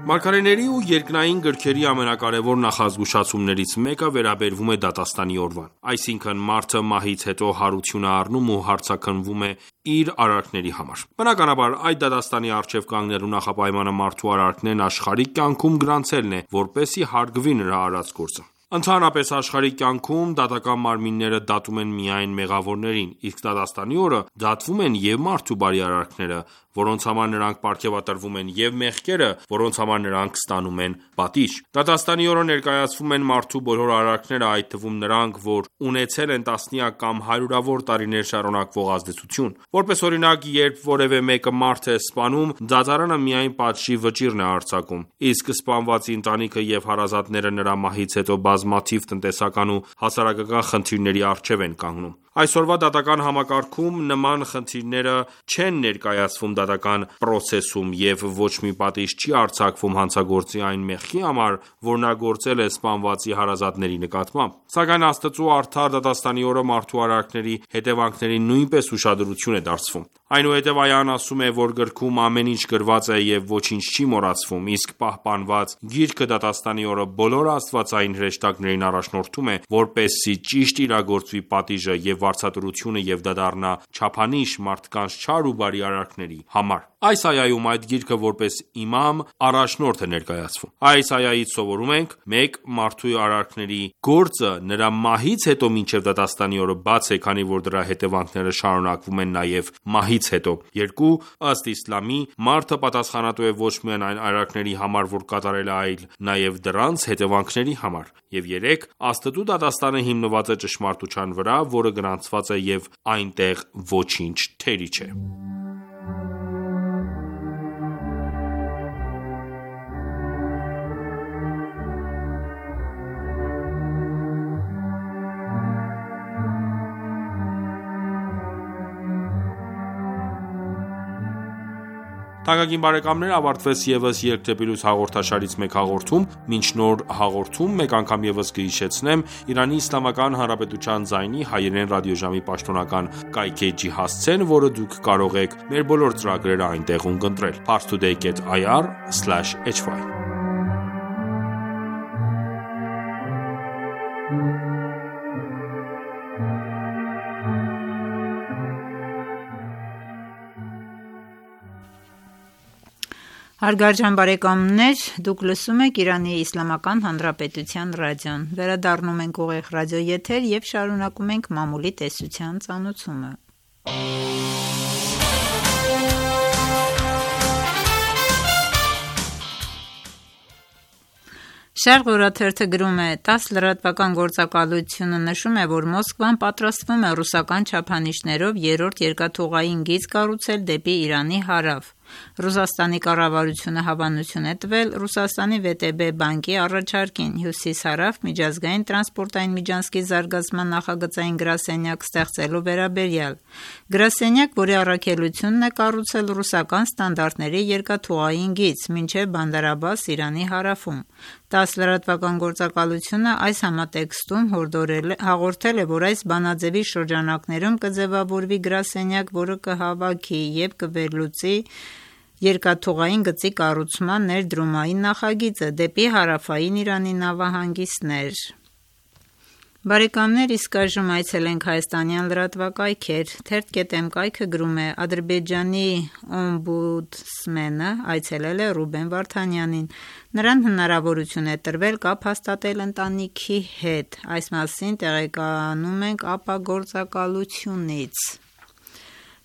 Մարգարեների ու երկնային գրքերի ամենակարևոր նախազգուշացումներից մեկը վերաբերվում է դատաստանի օրվան: Այսինքն, մարդը մահից հետո հարություն է առնում ու հարցաքննվում է իր արարքների համար: Բնականաբար, այդ դատաստանի առջև կանգնելու նախապայմանը մարդու արարքներն աշխարհիկ կյանքում գրանցելն է, որպեսզի հարգվի նրա արած գործը: Ընդհանրապես, աշխարհիկ կյանքում դատական մարմինները դատում են միայն մեղավորներին, իսկ դատաստանի օրը դատվում են և մարդու բարի արարքները, որոնց համար նրանք պարգևատրվում են, և մեղքերը, որոնց համար նրանք ստանում են պատիժ: Դատաստանի օրը ներկայացվում են մարդու բոլոր արարքները, այդ թվում նրանք, որ ունեցել են տասնյակ կամ հարյուրավոր տարիներ շարունակվող ազդեցություն: Որպես օրինակ, երբ որևէ մեկը մարդ է սպանում, դատարանը միայն պատժի վճիռն է արձակում, իսկ սպանվածի ընտանիքը և հարազատները նրա մահից հետո բազմաթիվ տնտեսական ու հասարակական խնդիրների առջև են կանգնում: Այսօրվա դատական համակարգում նման խնդիրները չեն ներկայացվում դատական պրոցեսում և ոչ մի պատիժ չի արձակվում հանցագործի այն մեղքի համար, որ նա գործել է սպանվածի հարազատների նկատմամբ: Սակայն Աստծու արդար դատաստանի օրը մարդու արարքների հետևանքներին նույնպես ուշադրություն է դարձվում: Այնուհետև այան ասում է, որ գրքում ամեն ինչ գրված է և ոչինչ չի մոռացվում, իսկ պահպանված գիրքը դատաստանի օրը բոլոր աստվածային հրեշտակներին առաջնորդում է, որպեսզի ճիշտ իրագործվի պատիժը և վարձատրությունը և դա դառնա չափանիշ մարդկանց չար ու բարի արարքների համար: Այս այայում այդ գիրքը որպես իմամ, առաջնորդ է ներկայացվում: Այս այայից սովորում ենք. մեկ. Մարդու արարքների գործը նրա մահից հետո մինչև դատաստանի օրը բաց է, քանի որ դրա հետևանքները շարունակվում են նաև մահից հետո: երկու. Ըստ իսլամի, մարդը պատասխանատու է ոչ միայն այն արարքների համար, որ կատարել է, այլ նաև դրանց հետևանքների համար: Եվ երեք. Աստծու դատաստանը հիմնված է ճշմարտության վրա, որը գրանցված է և այնտեղ ոչինչ թերի չէ: Թանկագին բարեկամներ, ավարտվեց ևս «Ելք դեպի լույս» հաղորդաշարից մեկ հաղորդում: Մինչ նոր հաղորդում, մեկ անգամ ևս կհիշեցնեմ Իրանի Իսլամական Հանրապետության ձայնի հայերեն ռադիոժամի պաշտոնական կայքէջի հասցեն, որը դուք կարող եք մեր բոլոր ծրագրերը այնտեղ ունկնդրել: Parstoday կետ ir slash hy
Հարգարժան բարեկամներ, դուք լսում եք Իրանի Իսլամական Հանրապետության ռադիոն։ Վերադառնում ենք ուղիղ ռադիոեթեր եւ շարունակում ենք մամուլի տեսության ծանոթումը։ Շարղ օրաթերթը գրում է. տաս լրատվական գործակալությունը նշում է, որ Մոսկվան պատրաստվում է ռուսական չափանիշներով երրորդ երկաթուղային գիծ կառուցել դեպի Իրանի հարավ։ Ռուսաստանի կառավարությունը հավանություն է տվել Ռուսաստանի վե տե բե բանկի առաջարկին հյուսիս-հարավ միջազգային տրանսպորտային միջանցքի զարգացման նախագծային գրասենյակ ստեղծելու վերաբերյալ։ Գրասենյակ, որի առաքելությունն է կառուցել ռուսական ստանդարտների երկաթուղային գիծ մինչև Բանդար Աբբաս Իրանի հարավում։ տաս լրատվական գործակալությունը այս համատեքստում հաղորդել է, որ այս բանաձևի շրջանակներում կձևավորվի գրասենյակ, որը կհավաքի և կվերլուծի երկաթուղային գծի կառուցման ներդրումային նախագիծը դեպի հարավային Իրանի նավահանգիստներ։ Բարեկամներ, իսկ այժմ այցելենք հայաստանյան լրատվակայքեր։ Թերթ.am կայքը գրում է. Ադրբեջանի օմբուդսմենը այցելել է Ռուբեն Վարդանյանին։ Նրան հնարավորություն է տրվել կապ հաստատել ընտանիքի հետ։ Այս մասին տեղեկանում ենք ԱՊԱ գործակալությունից։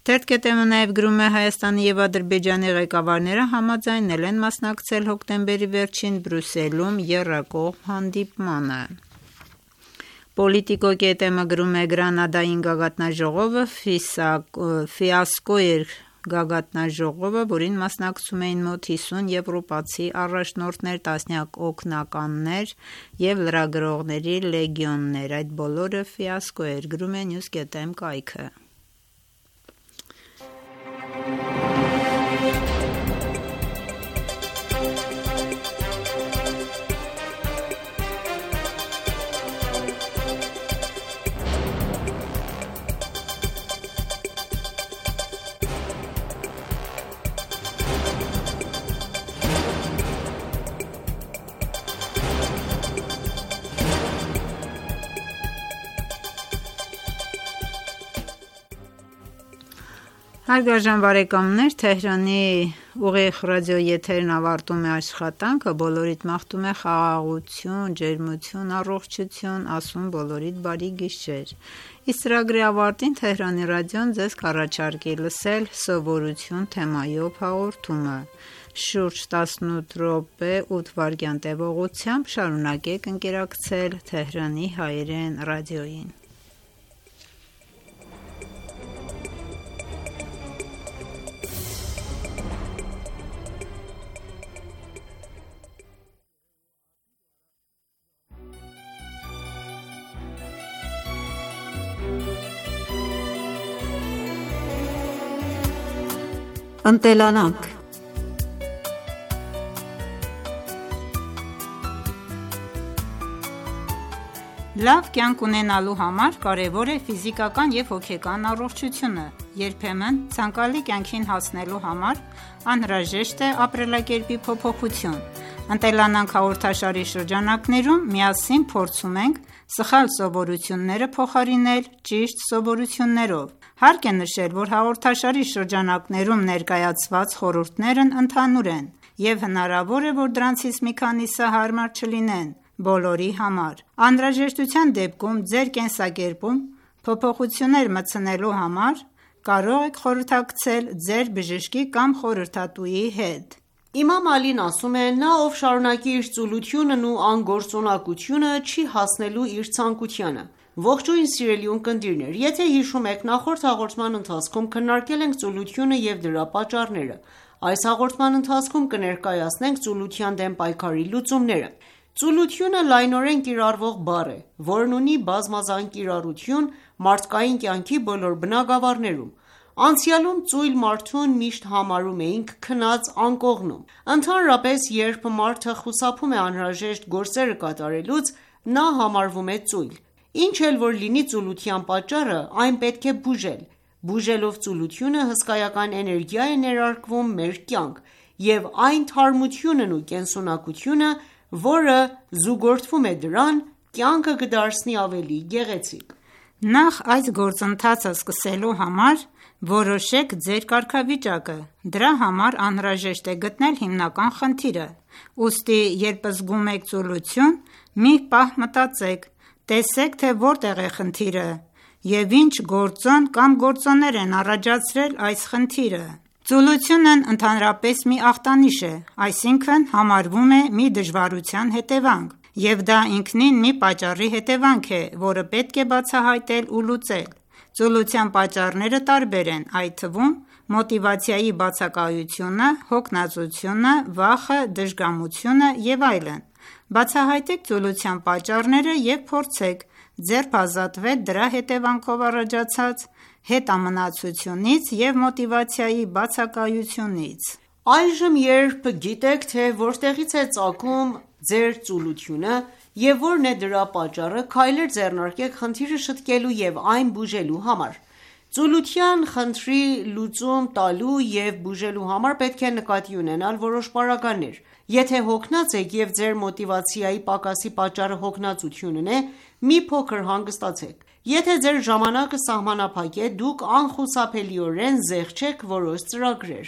Թերթ.am-ը նաև գրում է. Հայաստանի և Ադրբեջանի ղեկավարները համաձայնել են մասնակցել հոկտեմբերի վերջին Բրյուսելում եռակողմ հանդիպմանը։ Պոլիտիկո.am-ը գրում է. Գրանադային գագաթնաժողովը ֆիասկո էր գագաթնաժողովը, որին մասնակցում էին մոտ հիսուն եվրոպացի առաջնորդներ, տասնյակ օգնականներ և լրագրողների լեգիոններ։ Այդ բոլորը ֆիասկո էր, գրում է News.am կայքը։ Հարգարժան բարեկամներ, Թեհրանի ուղիղ ռադիոեթերն ավարտում է աշխատանքը, բոլորիդ մաղթում է խաղաղություն, ջերմություն, առողջություն, ասում բոլորիդ բարի գիշեր։ Իսկ ծրագրի ավարտին Թեհրանի ռադիոն ձեզ կառաջարկի լսել սովորություն թեմայով հաղորդումը։ Շուրջ տասնութ րոպե ութ վայրկյան տևողությամբ շարունակեք ընկերակցել Թեհրանի հայերեն ռադիոյին։
Ընտելանանք։
Լավ կյանք ունենալու համար կարևոր է ֆիզիկական և հոգեկան առողջությունը։ Երբեմն ցանկալի կյանքին հասնելու համար անհրաժեշտ է ապրելակերպի փոփոխություն։ Ընտելանանք հաղորդաշարի շրջանակներում միասին փորձում ենք սխալ սովորությունները փոխարինել ճիշտ սովորություններով։ Հարկ է նշել, որ հաղորդաշարի շրջանակներում ներկայացված խորհուրդներն ընդհանուր են, և հնարավոր է, որ դրանցից մի քանիսը հարմար չլինեն բոլորի համար։ Անհրաժեշտության դեպքում ձեր կենսակերպում փոփոխություններ մտցնելու համար կարող եք խորհրդակցել ձեր բժշկի կամ խորհրդատուի հետ։
Իմամ Ալին ասում է. նա, ով շարունակի իր ծուլությունն ու անգործունակությունը, չի հասնելու իր ցանկությանը։ Ողջույն սիրելի ունկնդիրներ, եթե հիշում եք, նախորդ հաղորդման ընթացքում քննարկել ենք ծուլությունը և դրա պատճառները։ Այս հաղորդման ընթացքում կներկայացնենք ծուլության դեմ պայքարի լուծումները։ Ծուլությունը լայնորեն կիրառվող բառ է, որն ունի բազմազան կիրառություն մարդկային կյանքի բոլոր բնագավառներում։ Անցյալում ծույլ մարդուն միշտ համարում էինք քնած անկողնում։ Ընդհանրապես, երբ մարդը խուսափում է անհրաժեշտ գործերը կատարելուց, նա համարվում է ծույլ։ Ինչ էլ որ լինի ծուլության պատճառը, այն պետք է բուժել։ Բուժելով ծուլությունը հսկայական էներգիա է ներարկվում մեր կյանք, և այն թարմությունն ու կենսունակությունը, որը զուգորդվում է դրան, կյանքը կդարձնի ավելի գեղեցիկ։
Նախ այս գործընթացը սկսելու համար որոշեք ձեր կարգավիճակը: Դրա համար անհրաժեշտ է գտնել հիմնական խնդիրը: Ուստի երբ զգում եք ծուլություն, մի պահ մտածեք, տեսեք, թե որտեղ է խնդիրը և ինչ գործոն կամ գործոններ են առաջացրել այս խնդիրը: Ծուլությունն ընդհանրապես մի ախտանիշ է, այսինքն համարվում է մի դժվարության հետևանք, և դա ինքնին մի պատճառի հետևանք է, որը պետք է բացահայտել ու լուծել: Ծուլության պատճառները տարբեր են, այդ թվում մոտիվացիայի բացակայությունը, հոգնածությունը, վախը, դժգամությունը և այլն: Բացահայտեք ծուլության պատճառները և փորձեք ձերբազատվել դրա հետևանքով առաջացած հետամնացությունից և մոտիվացիայի բացակայությունից:
Այժմ երբ գիտեք, թե որտեղից է ծագում ձեր ծուլությունը և որն է դրա պատճառը, քայլեր ձեռնարկեք խնդիրը շտկելու և այն բուժելու համար: Ծուլության խնդրի լուծում տալու և բուժելու համար պետք է նկատի ունենալ որոշ պարագաներ: Եթե հոգնած եք և ձեր մոտիվացիայի պակասի պատճառը հոգնածությունն է, մի փոքր հանգստացեք: Եթե ձեր ժամանակը սահմանափակ է, դուք անխուսափելիորեն զեղչեք որոշ ծրագրեր: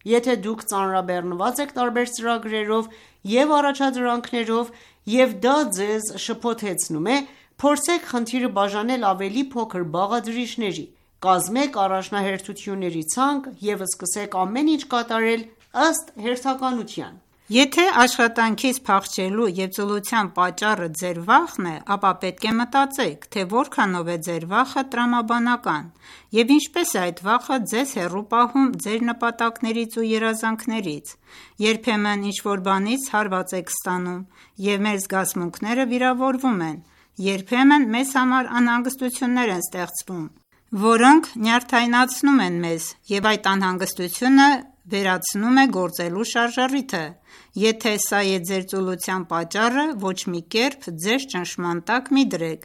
Եթե դուք ծանրաբեռնված եք տարբեր ծրագրերով և առաջադրանքներով և դա ձեզ շփոթեցնում է, փորձեք խնդիրը բաժանել ավելի փոքր բաղադրիչների: Կազմեք առաջնահերթությունների ցանկ և սկսեք ամեն ինչ կատարել ըստ հերթականության:
Եթե աշխատանքից փախչելու և ծուլության պատճառը ձեր վախն է, ապա պետք է մտածեք, թե որքանով է ձեր վախը տրամաբանական և ինչպես է այդ վախը ձեզ հեռու պահում ձեր նպատակներից ու երազանքներից: Երբեմն ինչ-որ բանից հարված եք ստանում և մեր զգացմունքները վիրավորվում են: Երբեմն մեզ համար անհանգստություններ են ստեղծվում, որոնք նյարդայնացնում են մեզ և այդ անհանգստությունը վերացնում է գործելու շարժառիթը: Եթե սա է ձեր ծուլության պատճառը, ոչ մի կերպ ձեզ ճնշման տակ մի դրեք: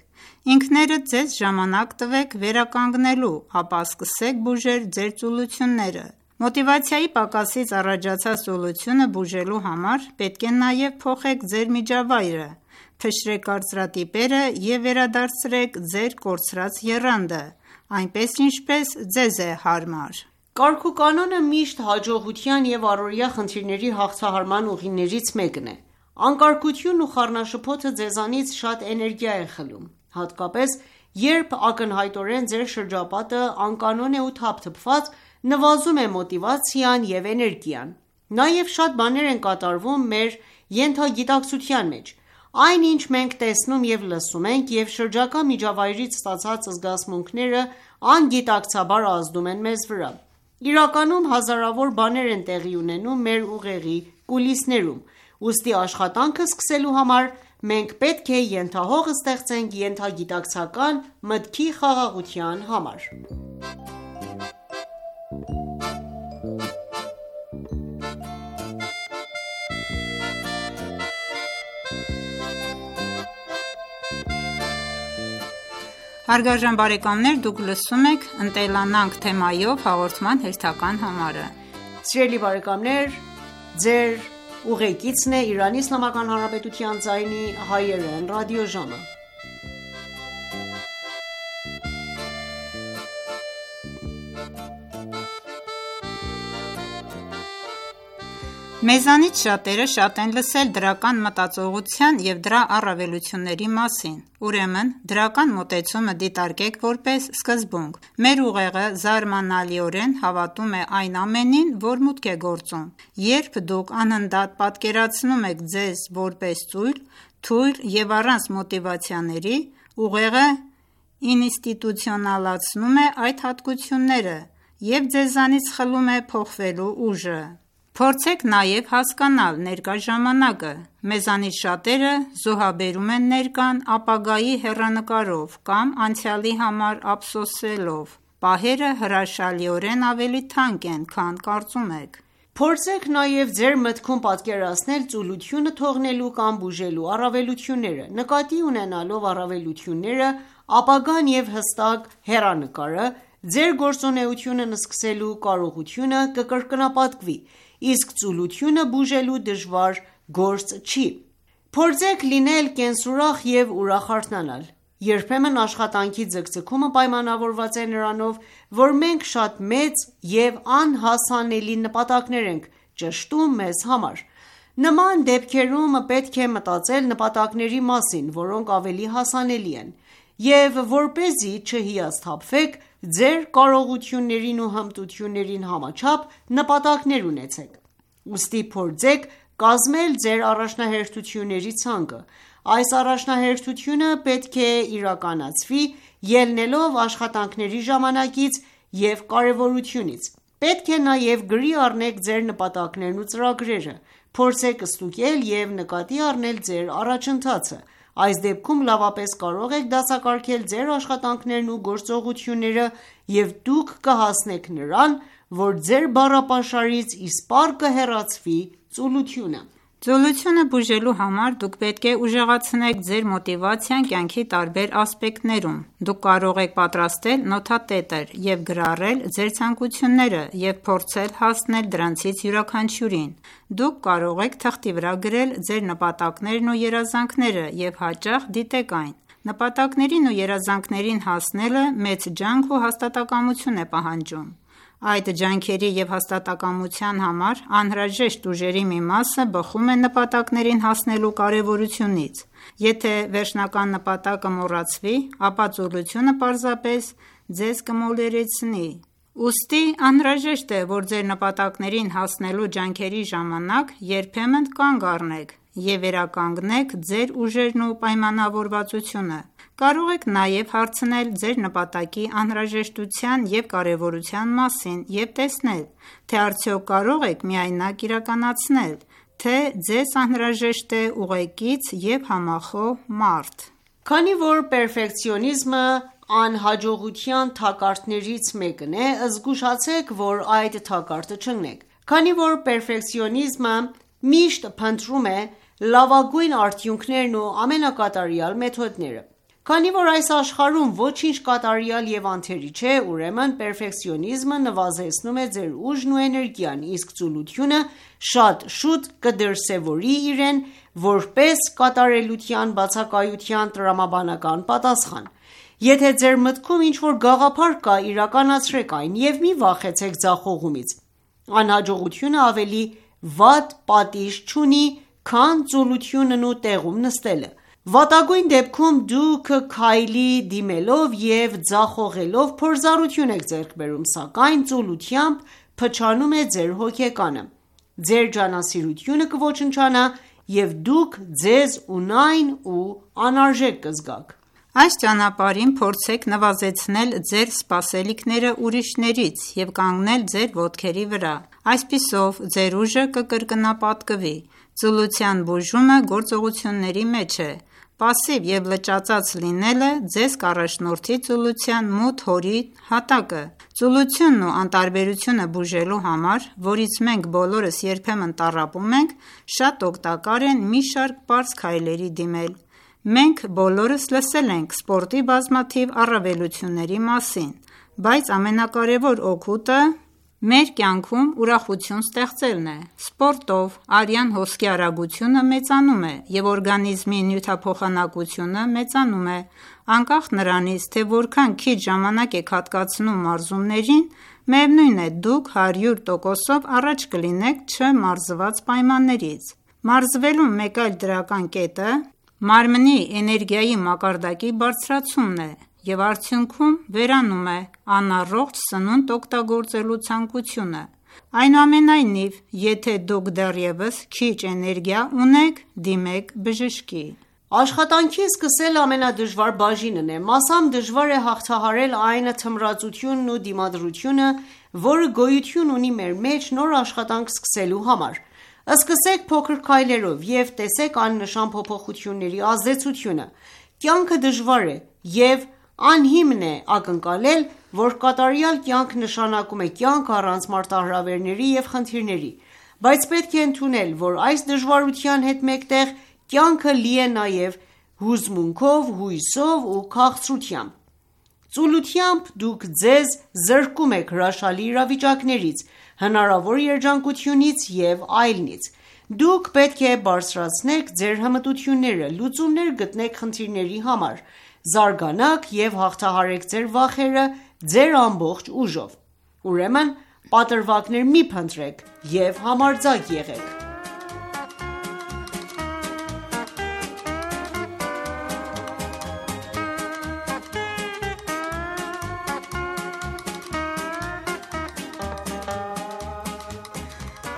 Ինքներդ ձեզ ժամանակ տվեք վերականգնելու, ապա սկսեք բուժել ձեր ծուլությունները: Մոտիվացիայի պակասից առաջացած ծուլությունը բուժելու համար պետք է նաև փոխեք ձեր միջավայրը: Փշրեք կարծրատիպերը և վերադարձրեք ձեր կորցրած եռանդը, այնպես ինչպես ձեզ է հարմար:
Կարգուկանոնը միշտ հաջողության և առօրյա խնդիրների հաղթահարման ուղիներից մեկն է: Անկարգությունն ու խառնաշփոթը ձեզանից շատ էներգիա է խլում: Հատկապես երբ ակնհայտորեն ձեր շրջապատը անկանոն է ու թափթփված, նվազում է մոտիվացիան և էներգիան: Նաև շատ բաներ են կատարվում մեր ենթագիտակցության մեջ: Այն ինչ մենք տեսնում և լսում ենք և շրջակա միջավայրից ստացած զգացմունքները անգիտակցաբար ազդում են մեզ վրա: Իրականում հազարավոր բաներ են տեղի ունենում մեր ուղեղի կուլիսներում: Ուստի աշխատանքը սկսելու համար մենք պետք է ենթահող ստեղծենք ենթագիտակցական մտքի խաղաղության համար:
Հարգարժան բարեկամներ դուք լսում եք «Ընտելանանք» թեմայով հաղորդման հերթական համարը:
Սիրելի բարեկամներ Ձեր ուղեկիցն է Իրանի Իսլամական Հանրապետության ձայնի հայերեն ռադիոժամը:
Մեզանից շատերը շատ են լսել դրական մտածողության և դրա առավելությունների մասին: Ուրեմն դրական մոտեցումը դիտարկեք որպես սկզբունք: Մեր ուղեղը զարմանալիորեն հավատում է այն ամենին, որ մուտք է գործում: Երբ դուք անընդհատ պատկերացնում եք ձեզ որպես ծույլ, թույլ և առանց մոտիվացիաների, ուղեղը ինստիտուցիոնալացնում է այդ հատկությունները և ձեզանից խլում է փոխվելու ուժը: Փորձեք նաև հասկանալ ներկա ժամանակը: Մեզանից շատերը զոհաբերում են ներկան ապագայի հեռանկարով կամ անցյալի համար ափսոսելով: Պահերը հրաշալիորեն ավելի թանկ են, քան կարծում եք:
Փորձեք նաև ձեր մտքում պատկերացնել ծուլությունը թողնելու կամ բուժելու առավելությունները: Նկատի ունենալով առավելությունները, ապագան և հստակ հեռանկարը, ձեր գործունեությունն սկսելու կարողությունը կկրկնապատկվի, իսկ ծուլությունը բուժելու դժվար գործ չի: Փորձեք լինել կենսուրախ և ուրախ արթնանալ: Երբեմն աշխատանքի ձգձգումը պայմանավորված է նրանով, որ մենք շատ մեծ և անհասանելի նպատակներ ենք ճշտում մեզ համար: Նման դեպքերում պետք է մտածել նպատակների մասին, որոնք ավելի հասանելի են, և որպեսզի չհիասթափվեք, ձեր կարողություններին ու հմտություններին համաչափ նպատակներ ունեցեք: Ուստի փորձեք կազմել ձեր առաջնահերթությունների ցանկը: Այս առաջնահերթությունը պետք է իրականացվի ելնելով աշխատանքների ժամանակից և կարևորությունից: Պետք է նաև գրի առնեք ձեր նպատակներն ու ծրագրերը: Փորձեք ստուգել և նկատի առնել ձեր առաջընթացը: Այս դեպքում լավապես կարող եք դասակարգել ձեր աշխատանքներն ու գործողությունները և դուք կհասնեք նրան, որ ձեր բառապաշարից իսպառ կհեռացվի ծուլությունը:
Ծուլությունը բուժելու համար դուք պետք է ուժեղացնեք ձեր մոտիվացիան կյանքի տարբեր ասպեկտներում: Դուք կարող եք պատրաստել նոթատետր և գրառել ձեր ցանկությունները և փորձել հասնել դրանցից յուրաքանչյուրին: Դուք կարող եք թղթի վրա գրել ձեր նպատակներն ու երազանքները և հաճախ դիտեք այն: Նպատակներին ու երազանքներին հասնելը մեծ ջանք ու հաստատակամություն է պահանջում: Այդ ջանքերի և հաստատակամության համար անհրաժեշտ ուժերի մի մասը բխում է նպատակներին հասնելու կարևորությունից: Եթե վերջնական նպատակը մոռացվի, ապա ծուլությունը պարզապես ձեզ կմոլորեցնի: Ուստի անհրաժեշտ է, որ ձեր նպատակներին հասնելու ջանքերի ժամանակ երբեմն կանգ առնեք և վերականգնեք ձեր ուժերն ու պայմանավորվածությունը: Կարող եք նաև հարցնել ձեր նպատակի անհրաժեշտության և կարևորության մասին և տեսնել, թե արդյոք կարող եք միայնակ իրականացնել, թե ձեզ անհրաժեշտ է ուղեկից և համախոհ մարդ:
Քանի որ պերֆեկցիոնիզմը անհաջողության թակարդներից մեկն է, զգուշացեք, որ այդ թակարդը չընկնեք: Քանի որ պերֆեկցիոնիզմը միշտ փնտրում է լավագույն արդյունքներն ու ամենակատարյալ մեթոդները: Քանի որ այս աշխարհում ոչինչ կատարյալ և անթերի չէ, ուրեմն պերֆեկցիոնիզմը նվազեցնում է ձեր ուժն ու էներգիան, իսկ ծուլությունը շատ շուտ կդրսևորի իրեն որպես կատարելության բացակայության տրամաբանական պատասխան: Եթե ձեր մտքում ինչ-որ գաղափար կա, իրականացրեք այն և մի վախեցեք ձախողումից: Անհաջողությունը ավելի վատ պատիժ չունի, քան ծուլությունն ու տեղում նստելը: Վատագույն դեպքում դուք քայլի դիմելով և ձախողելով փորձառություն եք ձեռք բերում, սակայն ծուլությամբ փչանում է ձեր հոգեկանը: Ձեր ջանասիրությունը կոչնչանա և դուք ձեզ ունայն ու անարժեք կզգաք:
Այս ճանապարհին փորձեք նվազեցնել ձեր սպասելիքները ուրիշներից և կանգնել ձեր ոտքերի վրա: Այսպիսով ձեր ուժը կկրկնապատկվի: Ծուլության բուժումը գործողությունների մեջ է: Պասիվ և լճածած լինելը ձեզ կառաջնորդի ծուլության մութ հորի հատակը: Ծուլությունն ու անտարբերությունը բուժելու համար, որից մենք բոլորս երբեմն տառապում ենք, շատ օգտակար է մի շարք պարզ քայլերի դիմել: Մենք բոլորս լսել ենք սպորտի բազմաթիվ առավելությունների մասին, բայց ամենակարևոր օգուտը մեր կյանքում ուրախություն ստեղծելն է: Սպորտով արյան հոսքի արագությունը մեծանում է և օրգանիզմի նյութափոխանակությունը մեծանում է: Անկախ նրանից, թե որքան քիչ ժամանակ եք հատկացնում մարզումներին, միևնույն է դուք հարյուր տոկոսով առաջ կլինեք չմարզված պայմաններից: Մարզվելու մեկ այլ դրական կետը մարմնի էներգիայի մակարդակի բարձրացումն է և արդյունքում վերանում է անառողջ սնունդ օգտագործելու ցանկությունը: Այնուամենայնիվ, եթե դուք դեռևս քիչ էներգիա ունեք, դիմեք բժշկի:
Աշխատանքի սկսելը ամենադժվար բաժինն է: Մասամբ դժվար է հաղթահարել այն թմրածությունն ու դիմադրությունը, որը գոյություն ունի մեր մեջ նոր աշխատանք սկսելու համար: Սկսեք փոքր քայլերով և տեսեք աննշան փոփոխությունների ազդեցությունը: Կյանքը դժվար է և անհիմն է ակնկալել, որ կատարյալ կյանք նշանակում է կյանք առանց մարտահրավերների և խնդիրների: Բայց պետք է ընդունել, որ այս դժվարության հետ մեկտեղ կյանքը լի է նաև հուզմունքով, հույսով ու քաղցրությամբ: Ծուլությամբ դուք ձեզ զրկում եք հրաշալի իրավիճակներից, հնարավոր երջանկությունից և այլնից: Դուք պետք է բարձրացնեք ձեր հմտությունները, լուծումներ գտնեք խնդիրների համար: զարգանաք և հաղթահարեք ձեր վախերը ձեր ամբողջ ուժով: Ուրեմն պատրվակներ մի փնտրեք և համարձակ եղեք: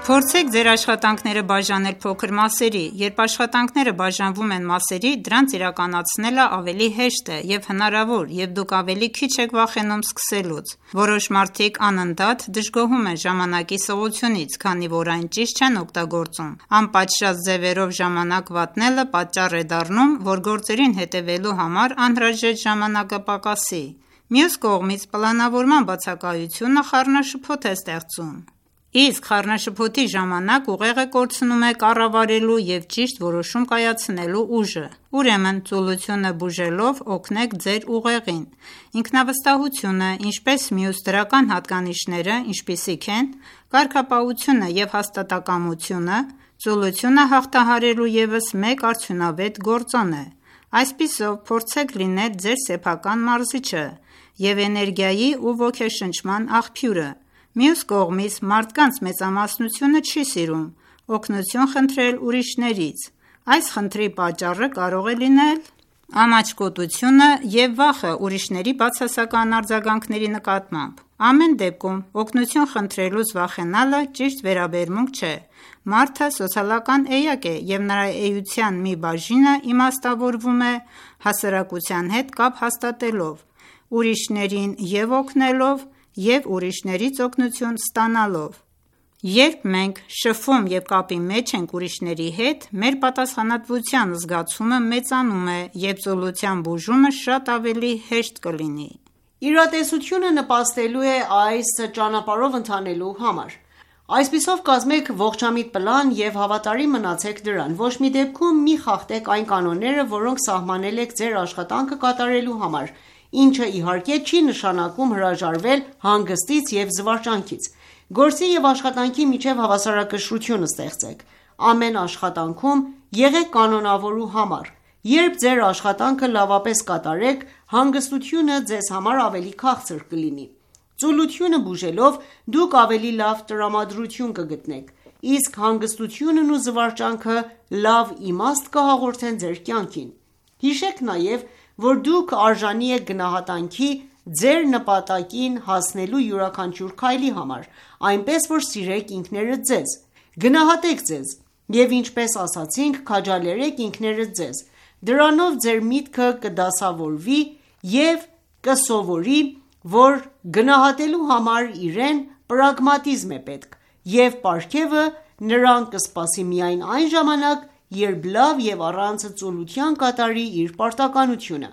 Փորձեք ձեր աշխատանքները բաժանել փոքր մասերի: Երբ աշխատանքները բաժանվում են մասերի, դրանց իրականացնելը ավելի հեշտ է և հնարավոր, և դուք ավելի քիչ եք վախենում սկսելուց: Որոշ մարդիկ անընդհատ դժգոհում են ժամանակի սղությունից, քանի որ այն ճիշտ չեն օգտագործում: Անպատշաճ ձևերով ժամանակ վատնելը պատճառ է դառնում, որ գործերին հետևելու համար անհրաժեշտ ժամանակը պակասի: Մյուս կողմից, պլանավորման բացակայությունը խառնաշփոթ է ստեղծում: Իսկ խառնաշփոթի ժամանակ ուղեղը կորցնում է կառավարելու և ճիշտ որոշում կայացնելու ուժը: Ուրեմն ծուլությունը բուժելով օգնեք ձեր ուղեղին: Ինքնավստահությունը, ինչպես մյուս դրական հատկանիշները, ինչպիսիք են կարգապահությունը և հաստատակամությունը, ծուլությունը հաղթահարելու ևս մեկ արդյունավետ գործոն է: Այսպիսով, փորձեք լինել ձեր սեփական մարզիչը և էներգիայի ու ոգեշնչման աղբյուրը: Մյուս կողմից, մարդկանց մեծամասնությունը չի սիրում օգնություն խնդրել ուրիշներից: Այս խնդրի պատճառը կարող է լինել ամաչկոտությունը և վախը ուրիշների բացասական արձագանքների նկատմամբ: Ամեն դեպքում, օգնություն խնդրելուց վախենալը ճիշտ վերաբերմունք չէ: Մարդը սոցիալական էակ է և նրա էության մի բաժինը իմաստավորվում է հասարակության հետ կապ հաստատելով, ուրիշներին և օգնելով և ուրիշներից օգնություն ստանալով: Երբ մենք շփվում և կապի մեջ ենք ուրիշների հետ, մեր պատասխանատվության զգացումը մեծանում է և ծուլության բուժումը շատ ավելի հեշտ կլինի:
Իրատեսությունը նպաստելու է այս ճանապարհով ընթանալու համար: Այսպիսով կազմեք ողջամիտ պլան և հավատարիմ մնացեք դրան: Ոչ մի դեպքում մի խախտեք այն կանոնները, որոնք սահմանել եք ձեր աշխատանքը կատարելու համար, ինչը իհարկե չի նշանակում հրաժարվել հանգստից և զվարճանքից: Գործի և աշխատանքի միջև հավասարակշռություն ստեղծեք: Ամեն աշխատանքում եղեք կանոնավոր ու համառ: Երբ ձեր աշխատանքը լավապես կատարեք, հանգստությունը ձեզ համար ավելի քաղցր կլինի: Ծուլությունը բուժելով, դուք ավելի լավ տրամադրություն կգտնեք, իսկ հանգստությունն ու զվարճանքը լավ իմաստ կհաղորդեն ձեր կյանքին: Հիշեք նաև, որ դուք արժանի եք գնահատանքի ձեր նպատակին հասնելու յուրաքանչյուր քայլի համար, այնպես որ սիրեք ինքներդ ձեզ: Գնահատեք ձեզ և ինչպես ասացինք, քաջալերեք ինքներդ ձեզ: Դրանով ձեր միտքը կդասավորվի և կսովորի, որ գնահատելու համար իրեն պրագմատիզմ է պետք և պարգևը նրան կսպասի միայն այն ժամանակ, երբ լավ և առանց ծուլության կատարի իր պարտականությունը: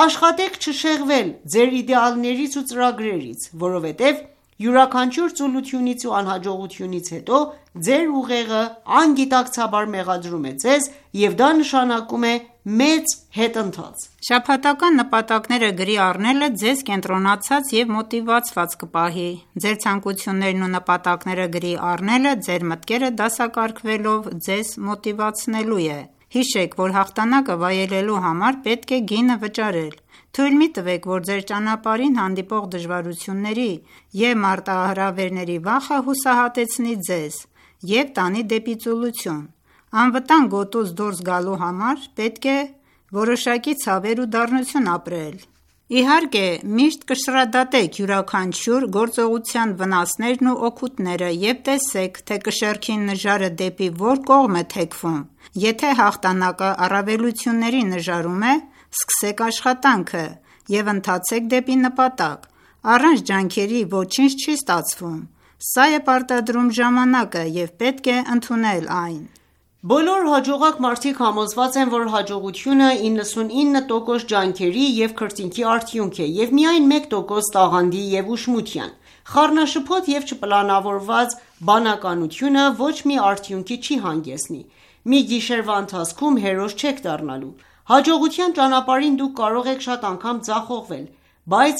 Աշխատեք չշեղվել ձեր իդեալներից ու ծրագրերից, որովհետև յուրաքանչյուր ծուլությունից ու անհաջողությունից հետո ձեր ուղեղը անգիտակցաբար մեղադրում է ձեզ և դա նշանակում է մեծ հետընթաց:
Շաբաթական նպատակները գրի առնելը ձեզ կենտրոնացած և մոտիվացված կպահի: Ձեր ցանկություններն ու նպատակները գրի առնելը ձեր մտքերը դասակարգվելով ձեզ մոտիվացնելու է: Հիշեք, որ հաղթանակը վայելելու համար պետք է գինը վճարել: Թույլ մի տվեք, որ ձեր ճանապարհին հանդիպող դժվարությունների և մարտահրավերների վախը հուսահատեցնի ձեզ և տանի դեպի ծուլություն: Անվտանգ գոտուց դուրս գալու համար պետք է որոշակի ցավեր ու դառնություն ապրել: Իհարկե միշտ կշռադատեք յուրաքանչյուր գործողության վնասներն ու օգուտները և տեսեք, թե կշեռքի նժարը դեպի որ կողմ է թեքվում: Եթե հաղթանակը առավելությունների նժարում է, սկսեք աշխատանքը և ընթացեք դեպի նպատակ: Առանց ջանքերի ոչինչ չի ստացվում: Սա է պարտադրում ժամանակը և պետք է ընդունել այն:
Բոլոր հաջողակ մարդիկ համոզված են, որ հաջողությունը իննսունինը տոկոս ջանքերի և քրտինքի արդյունք է և միայն մեկ տոկոս տաղանդի և ուշմության: Խառնաշփոթ և չպլանավորված բանականությունը ոչ մի արդյունքի չի հանգեցնի: Մի գիշերվա ընթացքում հերոս չեք դառնալու: Հաջողության ճանապարհին դուք կարող եք շատ անգամ ձախողվել, բայց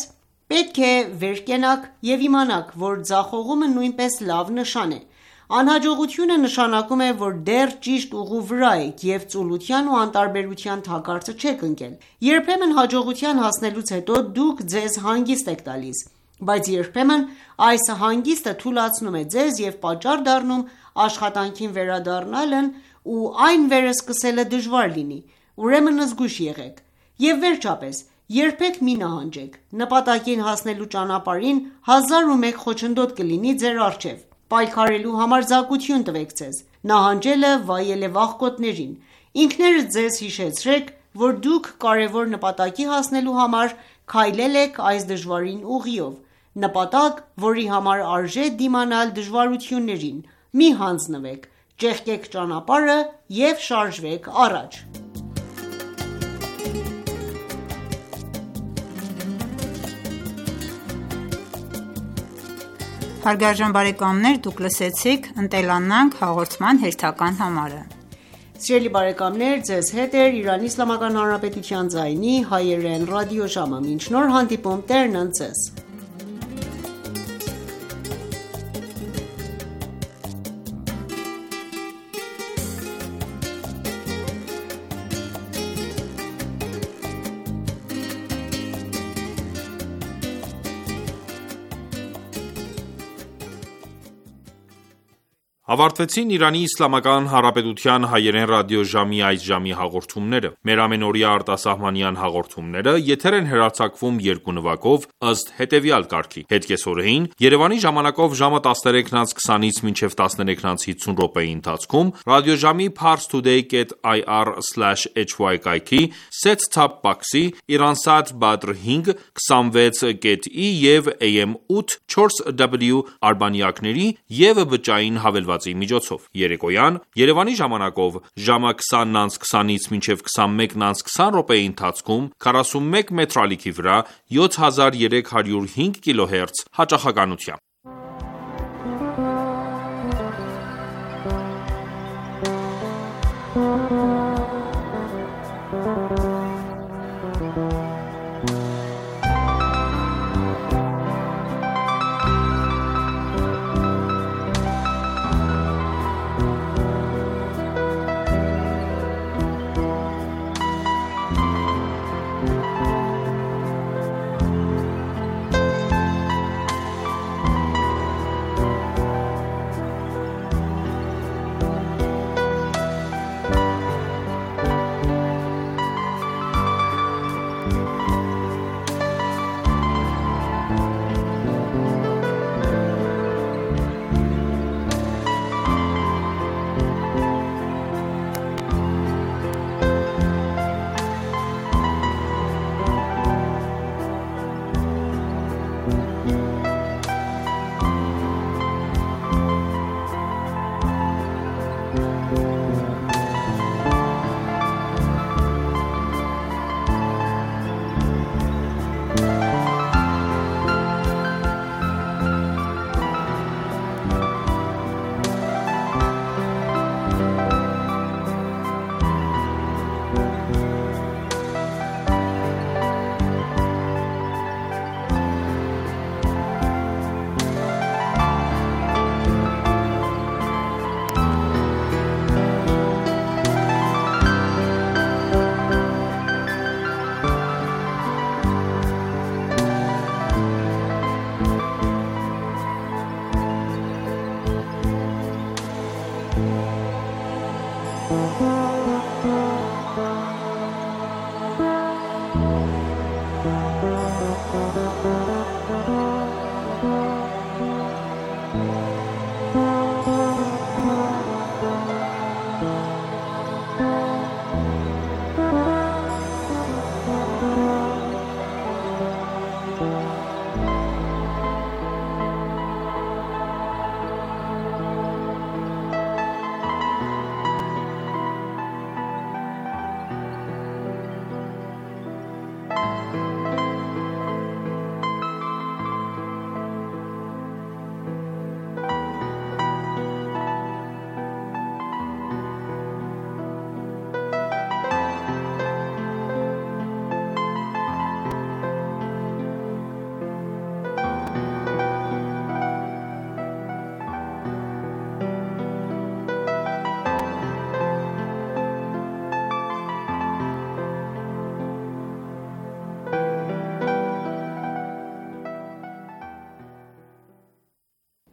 պետք է վեր կենաք և իմանաք, որ ձախողումը նույնպես լավ նշան է: Անհաջողությունը նշանակում է, որ դեռ ճիշտ ուղու վրա եք և ծուլության ու անտարբերության թակարդը չեք ընկել: Երբեմն հաջողության հասնելուց հետո դուք ձեզ հանգիստ եք տալիս, բայց երբեմն այս հանգիստը թուլացնում է ձեզ և պատճառ դառնում աշխատանքին վերադառնալն ու այն վերսկսելը դժվար լինի: Ուրեմն զգույշ եղեք: Եվ վերջապես, երբեք մի նահանջեք: Նպատակին հասնելու ճանապարհին հազար ու մեկ խոչընդոտ կլինի ձեր առջև: Պայքարելու համարձակություն տվեք ձեզ: Նահանջելը վայել է վախկոտներին: Ինքներդ ձեզ հիշեցրեք, որ դուք կարևոր նպատակի հասնելու համար քայլել եք այս դժվարին ուղիով: Նպատակ, որի համար արժե դիմանալ դժվարություններին: Մի հանձնվեք: Ճեղքեք ճանապարհը և շարժվեք առաջ:
Հարգարժան բարեկամներ դուք լսեցիք «Ընտելանանք» հաղորդման հերթական համարը:
Սիրելի բարեկամներ Ձեզ հետ է Իրանի Իսլամական Հանրապետության ձայնի հայերեն ռադիոժամը: Մինչ նոր հանդիպում Տերն ընդ Ձեզ:
Ավարտվեցին «Իրանի Իսլամական Հանրապետության հայերեն ռադիոժամի» այս ժամի հաղորդումները: Մեր ամենօրյա արտասահմանյան հաղորդումները եթեր են հեռարձակվում երկու նվագով, ըստ հետևյալ կարգի: Հետկեսօրեին Երևանի ժամանակով ժամը տասներեքն անց քսանից մինչև տասներեքն անց հիսուն րոպեի ընթացքում ռադիոժամի parstoday dot i r slash h y կայքի set-top box-ի, Iransat Badr հինգ, քսանվեց կետ ի և A M ութ չորս W արբանյակների և բջջային հավելվածի միջոցով: Երեկոյան Երևանի ժամանակով ժամը քսանն անց քսանից մինչև քսանմեկն անց քսան րոպեի ընթացքում քառասունմեկ մետր ալիքի վրա յոթ հազար երեք հարյուր հինգ կիլոհերց հաճախականությամբ: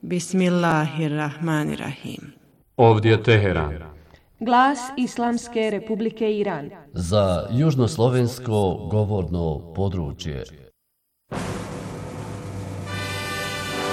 Bismillahirrahmanirrahim.
Ovdje Teheran.
Glas Islamske Republike Iran.
Za južnoslovensko govorno područje.